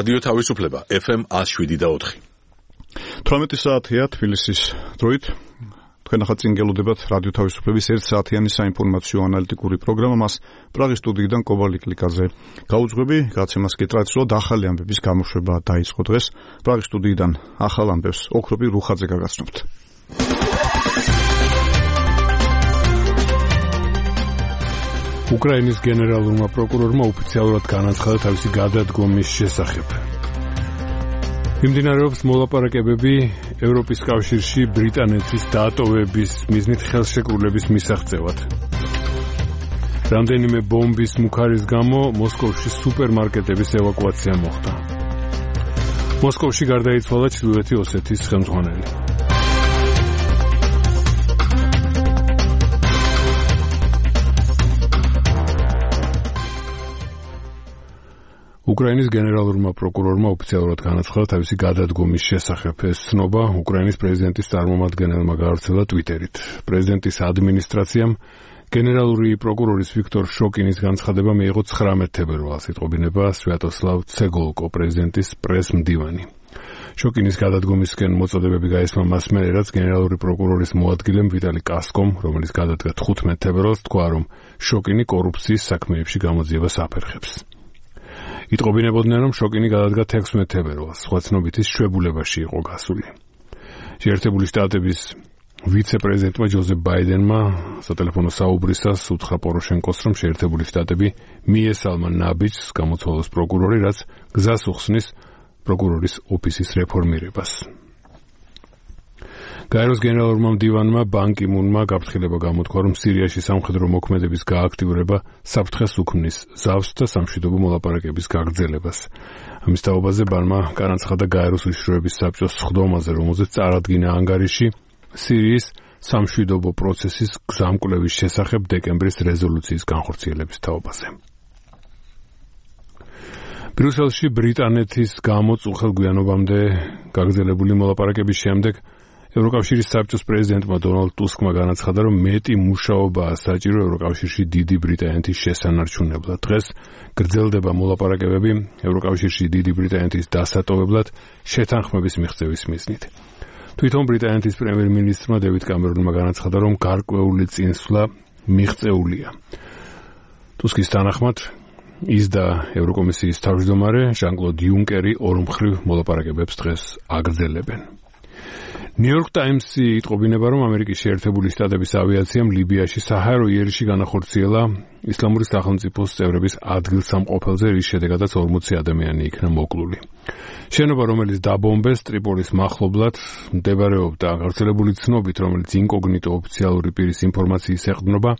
რადიო თავისუფლება FM 107.4. 18 საათია თბილისის დროით. თქვენ ახლა წინ გელოდებათ რადიო თავისუფლების 1 საათიანი საინფორმაციო ანალიტიკური პროგრამა. მას პრაღის სტუდიიდან კობალი კლიკაზე გაუძღვები. გაცემას კი ტრადიციულად ახალი ამბების გამოშვება დაიწყო დღეს. პრაღის სტუდიიდან ახალ ამბებს ოქროპი რუხაძე გაგაცნობთ. უკრაინის გენერალურმა პროკურორმა ოფიციალურად განაცხადა თავისი გადადგომის შესახებ. მიმდინარეობს მოლაპარაკებები ევროპის კავშირში ბრიტანეთის დატოვების მიზნით ხელშეკრულების მისაღწევად. რამდენიმე ბომბის მუქარის გამო მოსკოვში სუპერმარკეტების ევაკუაცია მოხდა. მოსკოვში გარდაიცვალა ჩრდილოეთი ოსეთის ხელმძღვანელი. უკრაინის გენერალურმა პროკურორმა ოფიციალურად განაცხადა თავისი გადადგომის შესახებ. ეს ცნობა უკრაინის პრეზიდენტის წარმომადგენელმა გაავრცელა ტვიტერით. პრეზიდენტის ადმინისტრაციამ გენერალური პროკურორის ვიქტორ შოკინის განცხადება მიიღო 19 თებერვალს, იტყობინება სვიატოსლავ ცეგოლკო, პრეზიდენტის პრეს-მდივანი. შოკინის გადადგომისკენ მოწოდებები გაისმა მას მერე, რაც გენერალური პროკურორის მოადგილემ ვიტალი კასკომ, რომელიც გადადგა 15 თებერვალს, თქვა, რომ შოკინი კორუფციის საქმეებში გამოძიებას აფერხებს. იტყობინებოდნენ, რომ შოკინი გადადგა 16 თებერვალს, სხვა ცნობითის შვებულებაში იყო გასული. შეერთებული შტატების ვიცე-პრეზიდენტმა ჯოზეფ ბაიდენმა სატელეფონო საუბრისას უთხრა პოროშენკოს, რომ შეერთებული შტატები მიესალმა ნაბიჯს გამოცვალოს პროკურორი, რაც გზას უხსნის პროკურორის ოფისის რეფორმირებას. გაეროს გენერალურმა მდივანმა ბან კი მუნმა გაფრთხილება გამოთქვა, რომ სირიაში სამხედრო მოქმედების გააქტიურება საფრთხეს უქმნის ზავს და სამშვიდობო მოლაპარაკების გაგრძელებას. ამის თაობაზე ბანმა განაცხადა გაეროს უშიშროების საბჭოს სხდომაზე, რომელზეც წარადგინა ანგარიში სირიის სამშვიდობო პროცესის გზამკვლევის შესახებ დეკემბრის რეზოლუციის განხორციელების თაობაზე. ბრიუსელში ბრიტანეთის გამო უხელგვიანობამდე გაგრძელებული მოლაპარაკების შემდეგ ევროკავშირის საბჭოს პრეზიდენტმა დონალდ ტუსკმა განაცხადა, რომ მეტი მუშაობაა საჭირო ევროკავშირში დიდი ბრიტანეთის შესანარჩუნებლად. დღეს გრძელდება მოლაპარაკებები ევროკავშირში დიდი ბრიტანეთის დასატოვებლად შეთანხმების მიღწევის მიზნით. თვითონ ბრიტანეთის პრემიერ-მინისტრმა დევიდ კამერონმა განაცხადა, რომ გარკვეული წინსვლა მიღწეულია. ტუსკის თანახმად ის და ევროკომისიის თავმჯდომარე ჟან-კლოდ იუნკერი ორმხრივ მოლაპარაკებებს დღეს აგრძელებენ. ნიუ-იორკ ტაიმსი იტყობინება, რომ ამერიკის შეერთებული შტატების ავიაციამ ლიბიაში საჰაერო იერიში განახორციელა ისლამური სახელმწიფოს წევრების ადგილსამყოფელზე, რის შედეგადაც 40 ადამიანი იქნა მოკლული. შენობა, რომელიც დაბომბეს ტრიპოლის მახლობლად, მდებარეობდა გავრცელებული ცნობით, რომელიც ინკოგნიტო ოფიციალური პირის ინფორმაციის ეყრდნობა.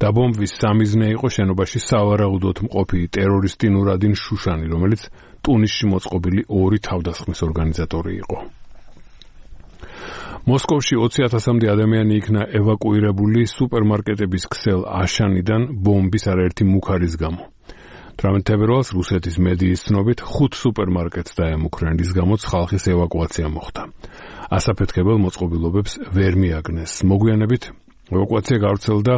დაბომბვის სამიზნე იყო შენობაში სავარაუდოდ მყოფი ტერორისტი ნურადინ შუშანი, რომელიც ტუნისში მოწყობილი 2 თავდასხმის ორგანიზატორი იყო. მოსკოვში 20,000-მდე ადამიანი იქნა ევაკუირებული სუპერმარკეტების ქსელ აშანიდან ბომბის არაერთი მუქარის გამო. 18 თებერვალს რუსეთის მედიის ცნობით 5 სუპერმარკეტს დაემუქრნენ, რის გამოც ხალხის ევაკუაცია მოხდა. ასაფეთქებელ მოწყობილობებს ვერ მიაგნეს. მოგვიანებით ევაკუაცია გავრცელდა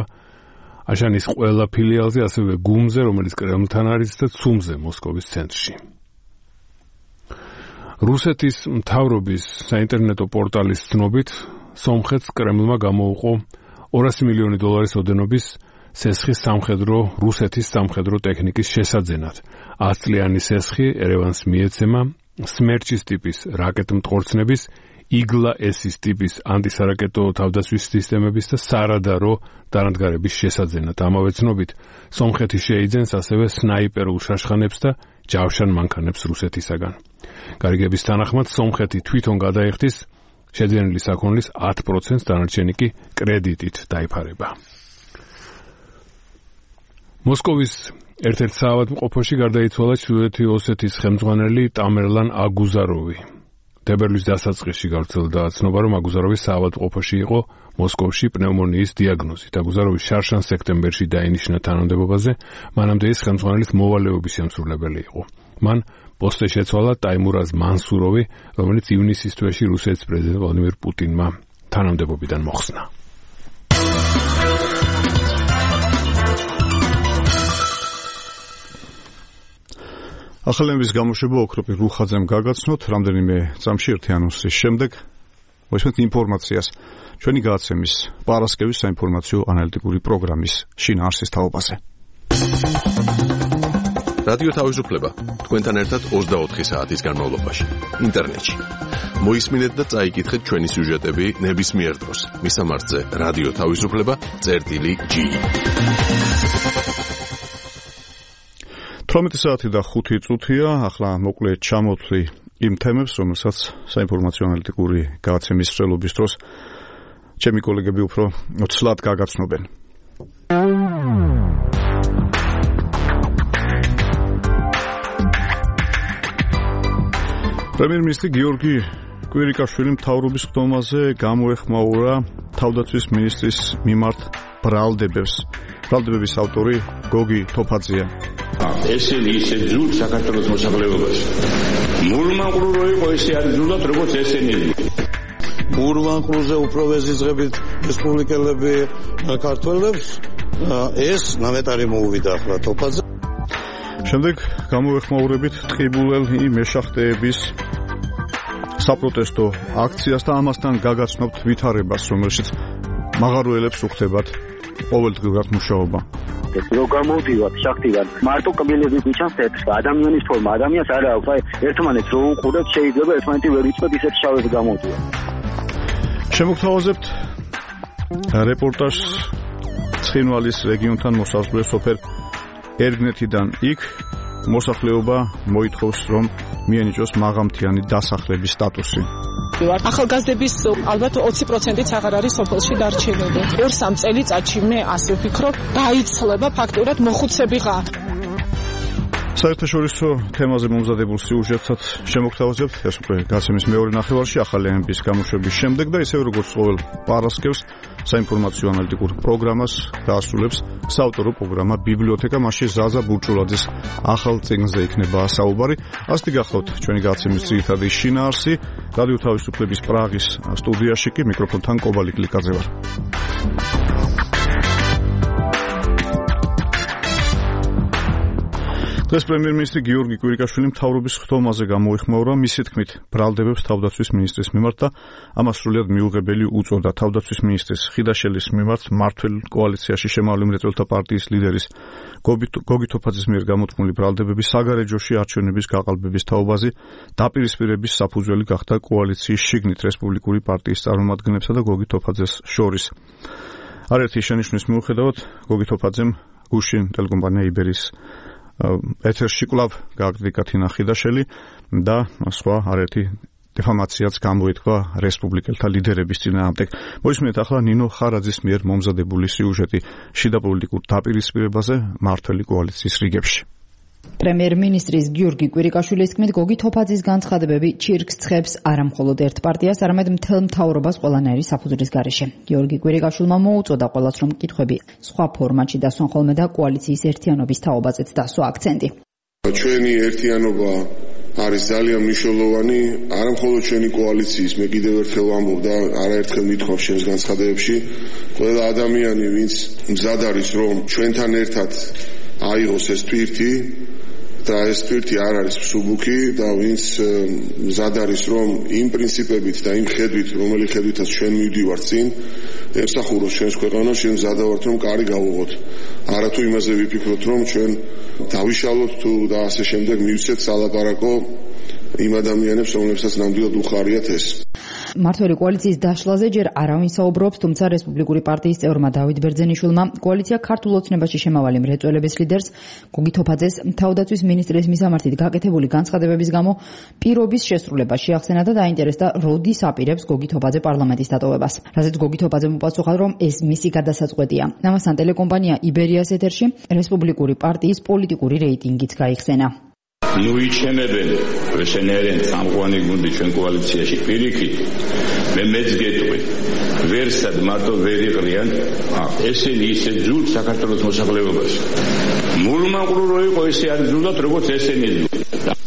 აშანის ყველა ფილიალზე, ასევე გუმზე, რომელიც კრემლთან არის და ცუმზე, მოსკოვის ცენტრში. რუსეთის მთავრობის საინტერნეტო პორტალის ცნობით, სომხეთს კრემლმა გამოუყო $200 მილიონი ოდენობის სესხის რუსეთის სამხედრო ტექნიკის შესაძენად. 10 წლიანი სესხი ერევანს მიეცემა სმერჩის ტიპის რაკეტმტყორცნების, იგლა-S-ის ტიპის ანტისარაკეტო თავდასხმის სისტემების და სარადარო დანადგარების შესაძენად. ამავე ცნობით, სომხეთი შეიძენს ასევე სნაიპერულ შაშხანებს და ჯავშან მანქანებს რუსეთისაგან. გარიგების თანახმად, სომხეთი თვითონ გადაიხდის შეძენილი საქონლის 10%, დანარჩენი კი კრედიტით დაიფარება. მოსკოვის ერთ-ერთ საავადმყოფოში გარდაიცვალა ჩრდილოეთი ოსეთის ხელმძღვანელი ტამერლან აგუზაროვი. თებერვლის დასაწყისში გავრცელდა ცნობა, რომ აგუზაროვი საავადმყოფოში იყო მოსკოვში პნევმონიის დიაგნოზით. აგუზაროვი შარშან სექტემბერში დაინიშნა თანამდებობაზე, მანამდე ის ხელმძღვანელის მოვალეობის შემსრულებელი იყო. მან პოსტზე შეცვალა ტაიმურაზ მანსუროვი, რომელიც ივნისის თვეში რუსეთის პრეზიდენტ ვლადიმირ პუტინმა თანამდებობიდან მოხსნა. ახალების გამოშვება ოქროპი რუხაძემ გაგაცნოთ რამდენიმე წამში ერთი ანონსის შემდეგ მოისმენთ ინფორმაციას ჩვენი გადაცემის პარასკევის საინფორმაციო ანალიტიკური პროგრამის შინაარსის თაობაზე. რადიო თავისუფლება თქვენთან ერთად 24 საათის განმავლობაში ინტერნეტში. მოისმინეთ და წაიკითხეთ ჩვენი სიუჟეტები ნებისმიერ დროს. მისამართზე რადიო თავისუფლება.gi 18 საათი და 5 წუთია, ახლა მოკლედ ჩამოვთვლი იმ თემებს, რომელსაც საინფორმაციო ანალიტიკური გადაცემის მსვლელობის დროს ჩემი კოლეგები უფრო ცლად გაგაცნობენ. პრემიერ-მინისტრი გიორგი კვირიკაშვილი მთავრობის ხდომაზე გამოეხმაურა თავდაცვის მინისტრის მიმართ ბრალდებებს. ბრალდებების ავტორი გოგი თოფაძეა. ესენი ისე ძულ საქართველოს მოსახლეობაში. მურმანყრურო იყო ესე არის ძულად როგორც ესენი. მურმანყრუზე უფრო ვეზიზღებით რესპუბლიკელები ქართველებს ეს ნამეტარი მოუვიდა ახლა თოფაძე. შემდეგ გამოეხმაურებით ტყიბულელი მეშახტეების საპროტესტო აქციას და ამასთან გაგაცნობთ ვითარებას, რომელშიც მაღაროელებს უხდებათ ყოველდღიურად მუშაობა. რო გამოვდივართ შახტიდან, მარტო კბილები გვიჩანს თეთრს, ადამიანის ფორმა, ადამიანს არ აქვს, აი ერთმანეთს რო უყურებთ, შეიძლება ერთმანეთი ვერ იცნოთ ისეთ შავებს გამოვდივართ. შემოგთავაზებთ რეპორტაჟს ცხინვალის რეგიონთან მოსაზღვრე სოფელ ერგნეთიდან. იქ მოსახლეობა მოითხოვს, რომ მიენიჭოს მაღამთიანი დასახლების სტატუსი. ახალგაზრდების ალბათ 20%-იც აღარ არის სოფელში დარჩენილი. 2-3 წელიწადში მე ასე ვფიქრობ, დაიცლება ფაქტურად მოხუცებიღა. საერთაშორისო თემაზე მომზადებულ სიუჟეტსაც შემოგთავაზებთ ეს უკვე გადაცემის მეორე ნახევარში ახალების გამოშვების შემდეგ და ისევ როგორც ყოველ პარასკევს საინფორმაციო ანალიტიკურ პროგრამას დაასრულებს საავტორო პროგრამა ბიბლიოთეკა, მასში ზაზა ბურჭულაძის ახალ წიგნზე იქნება საუბარი. ასეთი გახლავთ ჩვენი გადაცემის ძირითადი შინაარსი. რადიო თავისუფლების პრაღის სტუდიაში კი მიკროფონთან კობალი კლიკაძე ვარ. დღეს პრემიერ-მინისტრი გიორგი კვირიკაშვილი მთავრობის ხდომაზე გამოეხმაურა, მისი თქმით, ბრალდებებს თავდაცვის მინისტრის მიმართ და ამას სრულიად მიუღებელი უწოდა. თავდაცვის მინისტრის ხიდაშელის მიმართ მმართველ კოალიციაში შემავალი მრეწველთა პარტიის ლიდერის გოგი თოფაძის მიერ გამოთქმული ბრალდებები საგარეჯოში არჩევნების გაყალბების თაობაზე დაპირისპირების საფუძველი გახდა კოალიციის შიგნით რესპუბლიკური პარტიის წარმომადგენლებსა და გოგი თოფაძეს შორის. არაერთი შენიშვნის მიუხედავად, გოგი თოფაძემ გუშინ ტელეკომპანია იბერის ეთერში კვლავ გააკრიტიკა თინა ხიდაშელი და სხვა არაერთი დეფამაციაც გამოითქვა რესპუბლიკელთა ლიდერების წინააღმდეგ. მოისმინეთ ახლა ნინო ხარაძის მიერ მომზადებული სიუჟეტი შიდა პოლიტიკურ დაპირისპირებაზე მმართველი კოალიციის რიგებში. პრემიერ-მინისტრის გიორგი კვირიკაშვილის თქმით, გოგი თოფაძის განცხადებები ჩირკს ცხებს არა მხოლოდ ერთ პარტიას, არამედ მთელ მთავრობას ყველანაირი საფუძვლის გარეშე. გიორგი კვირიკაშვილმა მოუწოდა ყველას, რომ კითხვები სხვა ფორმატში დასვან ხოლმე და კოალიციის ერთიანობის თაობაზეც დასვა აქცენტი. ჩვენი ერთიანობა არის ძალიან მნიშვნელოვანი, არა მხოლოდ ჩვენი კოალიციის, მე კიდევ ერთხელ ვამბობ და არაერთხელ მithქვავ ჩემს განცხადებებში, ყველა ადამიანი, ვინც მზად არის, რომ ჩვენთან ერთად აიღოს ეს თვირთი და ეს თვირთი არ არის მსუბუქი და ვინც მზად არის, რომ იმ პრინციპებით და იმ ხედვით, რომელი ხედვითაც ჩვენ მივდივართ წინ, ემსახუროს ჩვენს ქვეყანას, ჩვენ მზად ვართ, რომ კარი გავუღოთ. არა თუ იმაზე ვიფიქროთ, რომ ჩვენ დავიშალოთ თუ და ასე შემდეგ მივცეთ სალაპარაკო იმ ადამიანებს, რომლებსაც ნამდვილად უხარიათ ეს. მმართველი კოალიციის დაშლაზე ჯერ არავინ საუბრობს, თუმცა რესპუბლიკური პარტიის წევრმა დავით ბერძენიშვილმა კოალიცია ქართულ ოცნებაში შემავალი მრეწველების ლიდერს გოგი თოფაძეს თავდაცვის მინისტრის მისამართით გაკეთებული განცხადებების გამო პირობის შესრულება შეახსენა და დაინტერესდა, როდის აპირებს გოგი თოფაძე პარლამენტის დატოვებას. რაზეც გოგი თოფაძემ უპასუხა, რომ ეს მისი გადასაწყვეტია. ამასთან ტელეკომპანია იბერიას ეთერში რესპუბლიკური პარტიის პოლიტიკური რეიტინგიც გაიხსენა. ნუიჩემებენ ესენერენ სამყუანი გუნდი ჩვენ კოალიციაში პირიქით მე მეც გეტყვი ვერსად მარტო ვერ იყრიან ესენი ისე ძულ საქართველოს მოსახლეობაში მურმანყრურო იყო ესე არის ძულად როგორც ესენი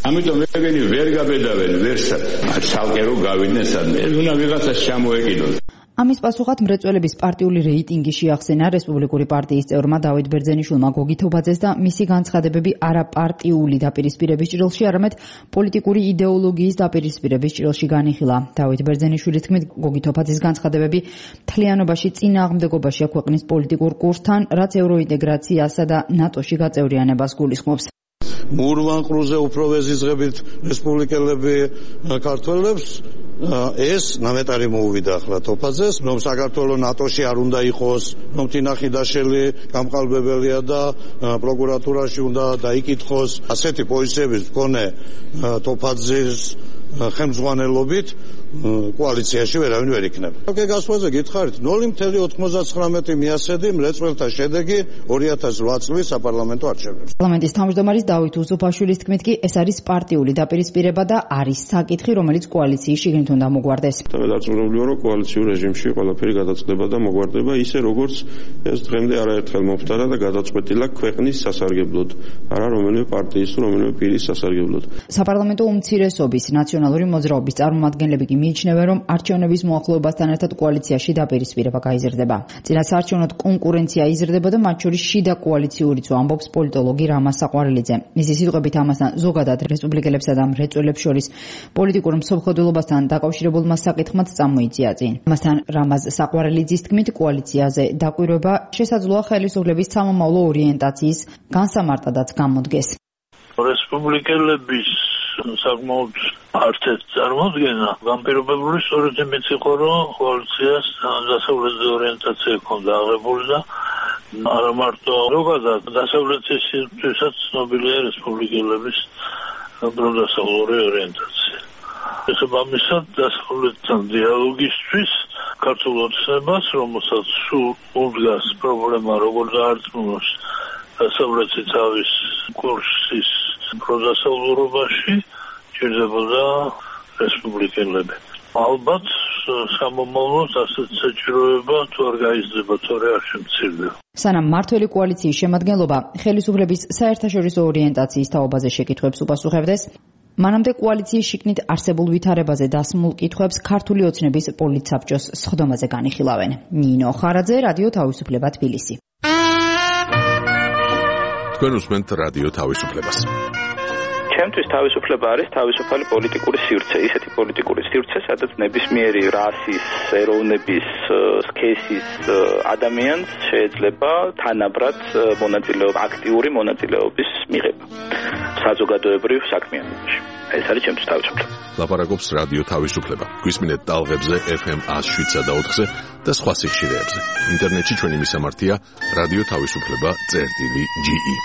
ამიტომ ეგენი ვერ გაბედავენ ვერსად ცალკე რო გავიდნენ სადმე ეს უნდა ვიღაცას ჩამოეკიდონ. ამის პასუხად მრეწველების პარტიული რეიტინგი შეახსენა რესპუბლიკური პარტიის წევრმა დავით ბერძენიშვილმა გოგი თოფაძეს და მისი განცხადებები არაპარტიული დაპირისპირების ჭრილში, არამედ პოლიტიკური იდეოლოგიის დაპირისპირების ჭრილში განიხილა. დავით ბერძენიშვილის თქმით, გოგი თოფაძის განცხადებები მთლიანობაში წინააღმდეგობაშია ქვეყნის პოლიტიკურ კურსთან, რაც ევროინტეგრაციასა და ნატოში გაწევრიანებას გულისხმობს. მურვანყრუზე უფრო ვეზიზღებით რესპუბლიკელები ქართველებს ეს ნამეტარი მოუვიდა ახლა თოფაძეს, რომ საქართველოს ნატოში არ უნდა იყოს, რომ თინახიდაშელი გამყალბებელია და პროკურატურაში უნდა დაიკითხოს. ასეთი პოზიციების მქონე თოფაძის ხელმძღვანელობით კოალიციაში ვერავინ ვერ იქნება. გასვლაზე გითხარით 0.99 მიასედი მრეწველთა შედეგი 2008 წლის საპარლამენტო არჩევნებში. პარლამენტის თავმჯდომარის დავით უსუფაშვილის თქმით კი ეს არის პარტიული დაპირისპირება და არის საკითხი, რომელიც კოალიციის შიგნით უნდა მოგვარდეს. დაწვრილებულია, რომ კოალიციურ რეჟიმში ყველაფერი გადაწყდება და მოგვარდება ისე, როგორც ეს დღემდე არაერთხელ მომხდარა და გადაწყვეტილა ქვეყნის სასარგებლოდ, არა რომელიმე პარტიის თუ რომელიმე პირის სასარგებლოდ. საპარლამენტო უმცირესობის ნაციონალური მოძრაობის წარმომადგენლები კი მიიჩნევენ, რომ არჩევნების მოახლოებასთან ერთად კოალიციაში დაპირისპირება გაიზრდება. წინასაარჩევნო კონკურენცია იზრდება და მათ შორის შიდა კოალიციურიც ამბობს პოლიტოლოგი რამაზ საყვარელიძე. მისი სიტყვებით ამასთან ზოგადად რესპუბლიკელებსა და მრეწველებს შორის პოლიტიკურ მსოფლმხედველობასთან დაკავშირებულმა საკითხმაც წამოიწია წინ. ამასთან რამაზ საყვარელიძის თქმით, კოალიციაზე დაკვირვება შესაძლოა ხელისუფლების სამომავლო ორიენტაციის განსამარტადაც გამოდგეს. რესპუბლიკელების საკმაოდ არტეთ წარმოდგენა განპირობებული სწორედ იმით იყო, რომ კოალიციას დასავლეთის ორიენტაცია ჰქონდა აღებული და არა მარტო ზოგადად დასავლეთისთვისაც ცნობილია რესპუბლიკელების პროდასავლური ორიენტაცია. შესაბამისად დასავლეთთან დიალოგისთვის ქართულ ოცნებას, რომელსაც სულ უდგას პრობლემა როგორ დაარწმუნოს დასავლეთი თავის კურსის პროდასავლურობაში ჭირდებოდა რესპუბლიკელები. ალბათ სამომავლოდ ასეთ საჭიროება თუ არ გაიზრდება, თორე არ შემცირდება. სანამ მართველი კოალიციის შემადგენლობა ხელისუფლების საერთაშორისო ორიენტაციის თაობაზე შეკითხვებს უპასუხებდეს, მანამდე კოალიციის შიგნით არსებულ ვითარებაზე დასმულ კითხვებს ქართული ოცნების პოლიტსაბჭოს სხდომაზე განიხილავენ. ნინო ხარაძე, რადიო თავისუფლება, თბილისი. თქვენ უსმენთ რადიო თავისუფლებას. ჩემთვის თავისუფლება არის თავისუფალი პოლიტიკური სივრცე, ისეთი პოლიტიკური სივრცე, სადაც ნებისმიერი რასის, ეროვნების, სქესის ადამიანს შეიძლება თანაბრად აქტიური მონაწილეობის მიღება საზოგადოებრივ საქმიანობაში. ეს არის ჩემთვის თავისუფლება. ლაპარაკობს რადიო თავისუფლება. გვისმინეთ ტალღებზე FM 107 და 4-ზე და სხვა სიხშირეებზე. ინტერნეტში ჩვენი მისამართია რადიო თავისუფლება.ge.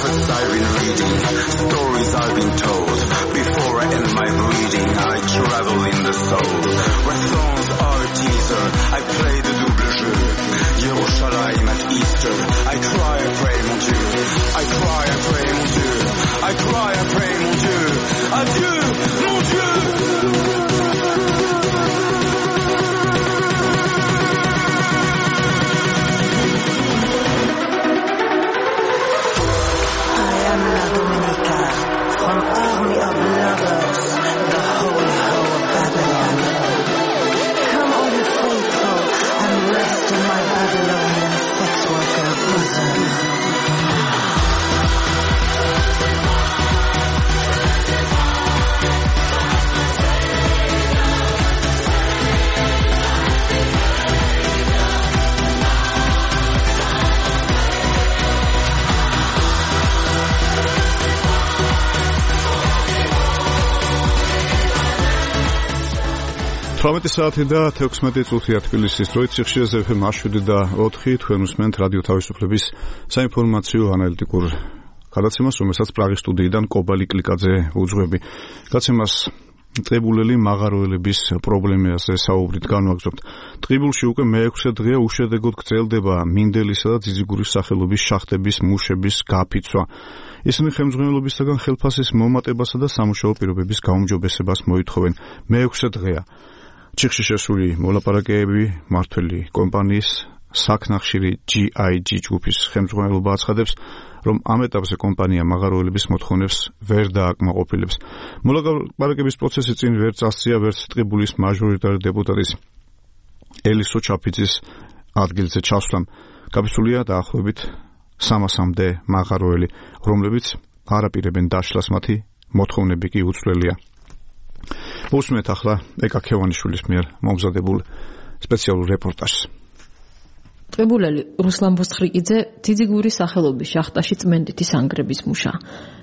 books I've been reading, stories I've been told. Before I end my breathing, I travel in the soul. Where thrones are a teaser, I play the double jeu. Yerushalayim at Easter, I cry and pray mon Dieu. I cry and pray mon Dieu. I cry and pray mon Dieu. Adieu mon Dieu. From army of lovers, the holy hoe of Babylon. Come all you faithful and rest in my Babylonian sex worker bosom. საათი და 16 წუთია თბილისის დროით სიხშირეზე FM 107.4 თქვენ უსმენთ რადიო თავისუფლების საინფორმაციო ანალიტიკურ გადაცემას, რომელსაც პრაღის სტუდიიდან კობალი კლიკაძე უძღვები. გადაცემას ტყიბულელი მაღაროელების პრობლემაზე საუბრით განვაგრძობთ. ტყიბულში უკვე მე-6 დღეა უშედეგოდ გრძელდება მინდელისა და ძიძიგურის სახელობის შახტების მუშების გაფიცვა. ისინი ხელმძღვანელობისაგან ხელფასის მომატებასა და სამუშაო პირობების გაუმჯობესებას მოითხოვენ. მე-6 დღეა ჩიხში შესული მოლაპარაკებები მართველი კომპანიის საქნახშირი GIG ჯგუფის ხელმძღვანელობა აცხადებს, რომ ამ ეტაპზე კომპანია მაღაროელების მოთხოვნებს ვერ დააკმაყოფილებს. მოლაპარაკების პროცესი წინ ვერ წასწია ვერც ტყიბულის მაჟორიტარი დეპუტატის ელისო ჩაფიძის ადგილზე ჩასვლამ. გაფიცულია დაახლოებით 300-მდე მაღაროელი, რომლებიც არაპირებენ დაშლას, მათი მოთხოვნები კი უცვლელია. უსმენთ ახლა ეკა ქევანიშვილის მიერ მომზადებულ სპეციალურ რეპორტაჟს. ტყიბულელი რუსლან ბოსხრიკიძე ძიძიგურის სახელობის შახტაში წმენდითი სანგრების მუშა.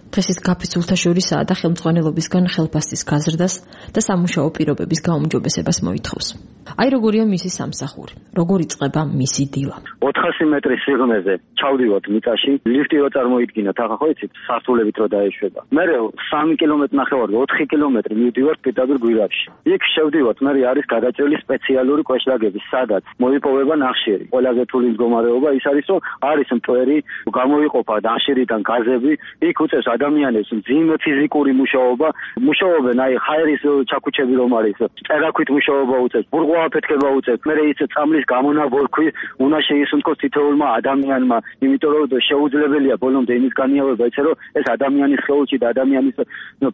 დღესის გაფიცულთა შორისაა და ხელმძღვანელობისგან ხელფასის გაზრდას და სამუშაო პირობების გაუმჯობესებას მოითხოვს. აი როგორია მისი სამსახური, როგორ იწყება მისი დილა. 400 მეტრის სიღრმეზე ჩავდივართ მიწაში, ლიფტი რო წარმოიდგინოთ, ახლა ხო იცით, სართულებით რო დაეშვება. მე 3 კილომეტრი ნახევარი, 4 კილომეტრი მივდივართ პირდაპირ გვირაბში. იქ შევდივართ, მე არის გადაჭრილი სპეციალური კვეშლაგები, სადაც მოიპოვება ნახშირი. ყველაზე რთული მდგომარეობა ის არის, რომ არის მტვერი, გამოიყოფა ნახშირიდან გაზები, იქ უწევს ადამიანებს მძიმე ფიზიკური მუშაობა, მუშაობენ აი ხაერის ჩაქუჩები რომ არის, წერაქვით მუშაობა უწევს, ბურღვა აფეთქება უწევს, მე ის წამლის გამონაბოლქვი უნდა შეისუნთქოს თითოეულმა ადამიანმა, იმიტომ რომ შეუძლებელია ბოლომდე იმის განიავება, ისე რომ ეს ადამიანის ხელში და ადამიანის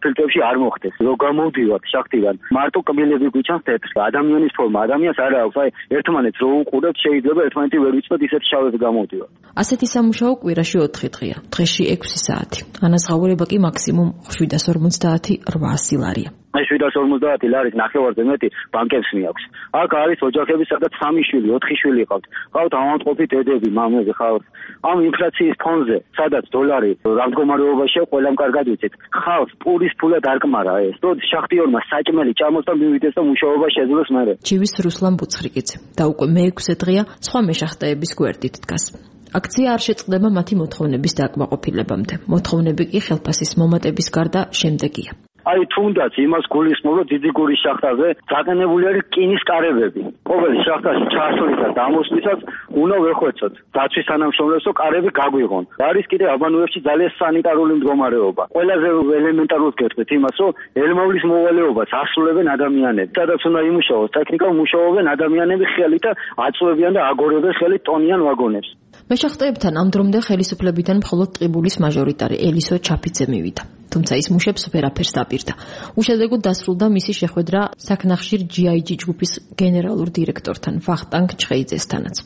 ფილტრებში არ მოხდეს. რო გამოვდივართ შახტიდან, მარტო კბილები გვიჩანს თეთრი, ადამიანის ფორმა, ადამიანს არ აქვს, აი ერთმანეთს რო უყურებთ, შეიძლება ერთმანეთი ვერ ვიცოდეთ, ისეთ შავებს გამოვდივართ. ასეთი სამუშაო კვირაში 4 დღეა, დღეში 6 საათი. ანაზღაურება კი მაქსიმუმ 750-800 ლარია. აი 750 ლარის ნახევარზე მეტი ბანკებს მიაქვს. აქ არის ოჯახები, სადაც 3 შვილი, 4 შვილი ყავთ. ყავთ ავადმყოფი დედები, მამები ხავთ. ამ ინფლაციის ფონზე, სადაც დოლარი რა მდგომარეობაშია, ყველამ კარგად ვიცით. ხავთ პურის ფულად არ კმარა ეს. რო შახტიორმა საჭმელი ჭამოსთან მივიდეს და მუშაობა შეძლოს მერე. ჩივის რუსლან ბუცხრიკიძე და უკვე მე-6 დღეა სხვა მეშახტეების გვერდით დგას. აქცია არ შეწყდება მათი მოთხოვნების დააკმაყოფილებამდე. მოთხოვნები კი ხელფასის მომატების გარდა შემდეგია. აი თუნდაც იმას გულისხმობ, ძიძიგურის შახტაზე დაყენებული არის რკინის კარებები. ყოველი შახტაში ჩასვლისას და ამოსვლისას უნდა ვეხვეწოთ. დაცვის თანამშრომლებს კარები გაგვიღონ. არის კიდე აბანოებში ძალიან სანიტარული მდგომარეობა. ყველაზე ელემენტარულად გეტყვით იმას, რომ ელმავლის მოვალეობას ასრულებენ ადამიანები. სადაც უნდა იმუშაოს ტექნიკა, მუშაობენ ადამიანები ხელით და აწვევიან და აგორებენ ხელით ტონიან ვაგონებს. მეშახტეებთან ამ დრომდე ხელისუფლებიდან მხოლოდ ტყიბულის მაჟორიტარი ელისო ჩაფიძე მივიდა. თუმცა ის მუშებს ვერაფერს დაპირდა. უშედეგოდ დასრულდა მისი შეხვედრა საქნახშირ GIG ჯგუფის გენერალურ დირექტორთან ვახტანგ ჩხეიძესთანაც.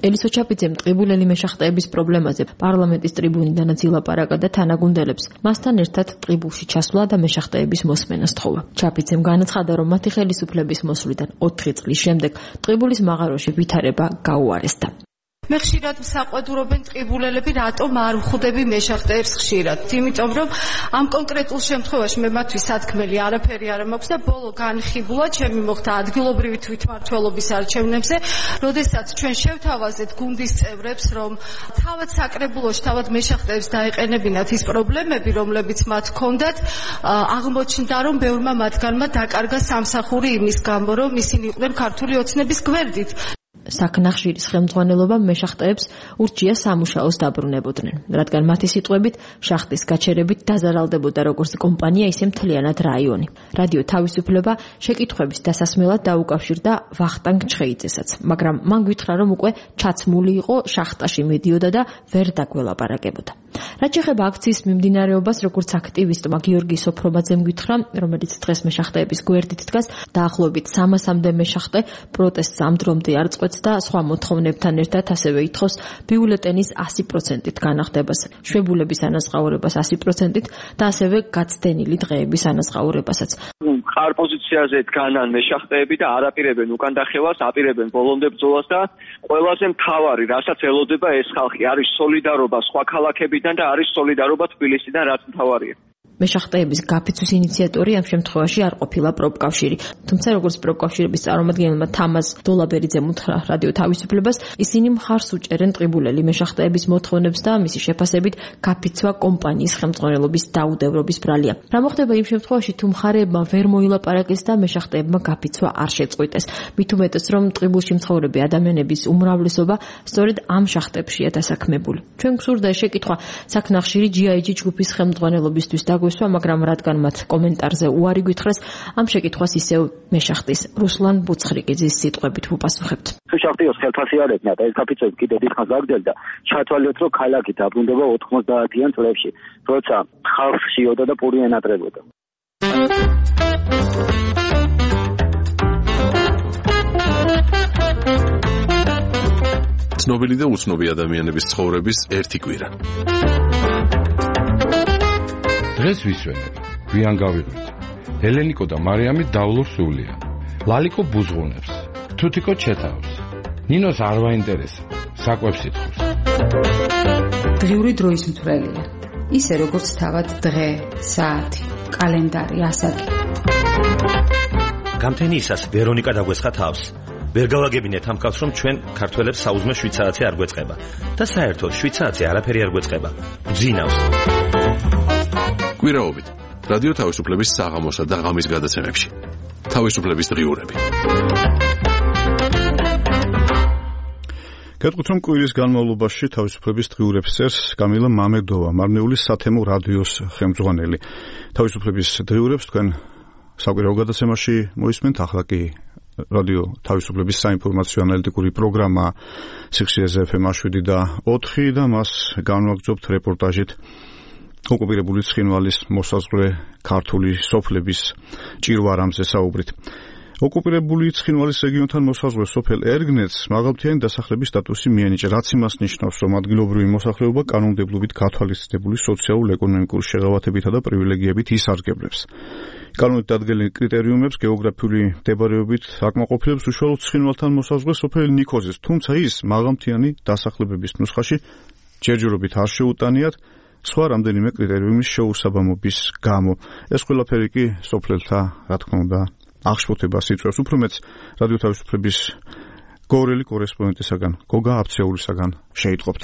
ელისო ჩაფიძემ ტყიბულელი მეშახტეების პრობლემაზე პარლამენტის ტრიბუნიდანაც ილაპარაკა და თანაგუნდელებს მასთან ერთად ტყიბულში ჩასვლა და მეშახტეების მოსმენას თხოვა. ჩაფიძემ განაცხადა, რომ მათი ხელისუფლების მოსვლიდან 4 წლის შემდეგ ტყიბულის მაღაროში ვითარება გაუარესდა. მე ხშირად მსაყვედურობენ ტყიბულელები, რატომ არ ვხვდები მეშახტეებს ხშირად. იმიტომ რომ ამ კონკრეტულ შემთხვევაში მე მათთვის სათქმელი არაფერი არ მაქვს და ბოლო განხიბულა ჩემი მოხდა ადგილობრივი თვითმმართველობის არჩევნებზე, როდესაც ჩვენ შევთავაზეთ გუნდის წევრებს, რომ თავად საკრებულოში, თავად მეშახტეებს დაეყენებინათ ის პრობლემები, რომლებიც მათ ჰქონდათ, აღმოჩნდა, რომ ბევრმა მათგანმა დაკარგა სამსახური იმის გამო, რომ ისინი იყვნენ ქართული ოცნების გვერდით. საქნახშირის ხელმძღვანელობა მეშახტეებს ურჩია სამუშაოს დაბრუნებოდნენ, რადგან მათი სიტყვებით შახტის გაჩერებით დაზარალდებოდა როგორც კომპანია, ისე მთლიანად რაიონი. რადიო თავისუფლება შეკითხვების დასასმელად დაუკავშირდა ვახტანგ ჩხეიძესაც, მაგრამ მან გითხრა, რომ უკვე ჩაცმული იყო, შახტაში მიდიოდა და ვერ დაგველაპარაკებოდა. რაც შეეხება აქციის მიმდინარეობას, როგორც აქტივისტმა გიორგი სოფრობაძემ გითხრა, რომელიც დღეს მეშახტეების გვერდით დგას, დაახლოებით 300-მდე მეშახტე პროტესტს ამ დრომდე არ წყვეტს და სხვა მოთხოვნებთან ერთად ასევე ითხოვს ბიულეტენის 100%-ით განახდებას, შვებულების ანაზღაურებას 100%-ით და ასევე გაცდენილი დღეების ანაზღაურებასაც. მყარ პოზიციაზე დგანან მეშახტეები და არ აპირებენ უკან დახევას, აპირებენ ბოლომდე ბრძოლას და ყველაზე მთავარი, რასაც ელოდება ეს ხალხი, არის სოლიდარობა სხვა ქალაქებიდან და არის სოლიდარობა თბილისიდან, რაც მთავარია. მეშახტეების გაფიცვის ინიციატორი ამ შემთხვევაში არ ყოფილა პროფკავშირი. თუმცა როგორც პროფკავშირების წარმომადგენელმა თამაზ დოლაბერიძემ უთხრა რადიო თავისუფლებას, ისინი მხარს უჭერენ ტყიბულელი მეშახტეების მოთხოვნებს და მისი შეფასებით გაფიცვა კომპანიის ხელმძღვანელობის დაუდევრობის ბრალია. რა მოხდება იმ შემთხვევაში, თუ მხარეებმა ვერ მოილაპარაკეს და მეშახტეებმა გაფიცვა არ შეწყვიტეს? მით უმეტეს, რომ ტყიბულში მცხოვრები ადამიანების უმრავლესობა სწორედ ამ შახტებშია დასაქმებული. ჩვენ გსურდა შეკითხვა საქნახშირი GIG ჯგუფის ხელმძღვანელობისთვის დაგვესვა, მაგრამ რადგან მათ კომენტარზე უარი გითხრეს, ამ შეკითხვას ისევ მეშახტის რუსლან ბუცხრიკიძის სიტყვებით ვუპასუხებთ. თუ შახტიოს ხელფასი არ ეკნა და ეს გაფიცვები კიდევ დიდხანს გაგრძელდა, ჩათვალეთ, რომ ქალაქი დაბრუნდება 90-იან წლებში, როცა ხალხს შიოდა და პური ენატრებოდა. ცნობილი და უცნობი ადამიანების ცხოვრების ერთი კვირა. დღეს ვისვენებ, გვიან გავიღვით. ელენიკო და მარიამი დავლურ სულია. ლალიკო ბუზღუნებს, თუთიკო ჩეთავს. ნინოს არ ვაინტერესა, საკვებს ითხოვს. დღიური დროის მთვრელია. ისე როგორც თავად დღე, საათი, კალენდარი, ასაკი. გამთენიისას ვერონიკა დაგვესხა თავს. ვერ გავაგებინეთ ამ კაცს, რომ ჩვენ ქართველებს საუზმე 7 საათი არ გვეწყება და საერთოდ 7 საათი არაფერი არ გვეწყება. გძინავს. კვირაობით რადიო თავისუფლების საღამოსა და ღამის გადაცემებში. თავისუფლების დღიურები. გეტყვით, რომ კვირის განმავლობაში თავისუფლების დღიურებს წერს კამილა მამედოვა, მარნეულის სათემო რადიოს ხელმძღვანელი. თავისუფლების დღიურებს თქვენ საკვირაო გადაცემაში მოისმენთ, ახლა კი რადიო თავისუფლების საინფორმაციო ანალიტიკური პროგრამა სიხშირეზე FM 7 და 4 და მას განვაგრძობთ რეპორტაჟით ოკუპირებული ცხინვალის მოსაზღვრე ქართული სოფლების ჭირვარამზე საუბრით. ოკუპირებული ცხინვალის რეგიონთან მოსაზღვრე სოფელ ერგნეთს მაღალმთიანი დასახლების სტატუსი მიენიჭა, რაც იმას ნიშნავს, რომ ადგილობრივი მოსახლეობა კანონმდებლობით გათვალისწინებული სოციალურ-ეკონომიკური შეღავათებითა და პრივილეგიებით ისარგებლებს. კანონით დადგენილ კრიტერიუმებს გეოგრაფიული მდებარეობით აკმაყოფილებს უშუალოდ ცხინვალთან მოსაზღვრე სოფელ ნიქოზის, თუმცა ის მაღალმთიანი დასახლებების ნუსხაში ჯერჯერობით არ შეუტანიათ სხვა რამდენიმე კრიტერიუმის შეუსაბამობის გამო. ეს ყველაფერი კი სოფლელთა, რა თქმა უნდა, აღშფოთებას იწვევს. უფრო მეც რადიო თავისუფლების გორელი კორესპონდენტისაგან, გოგა აფცეულისაგან შეიტყობთ.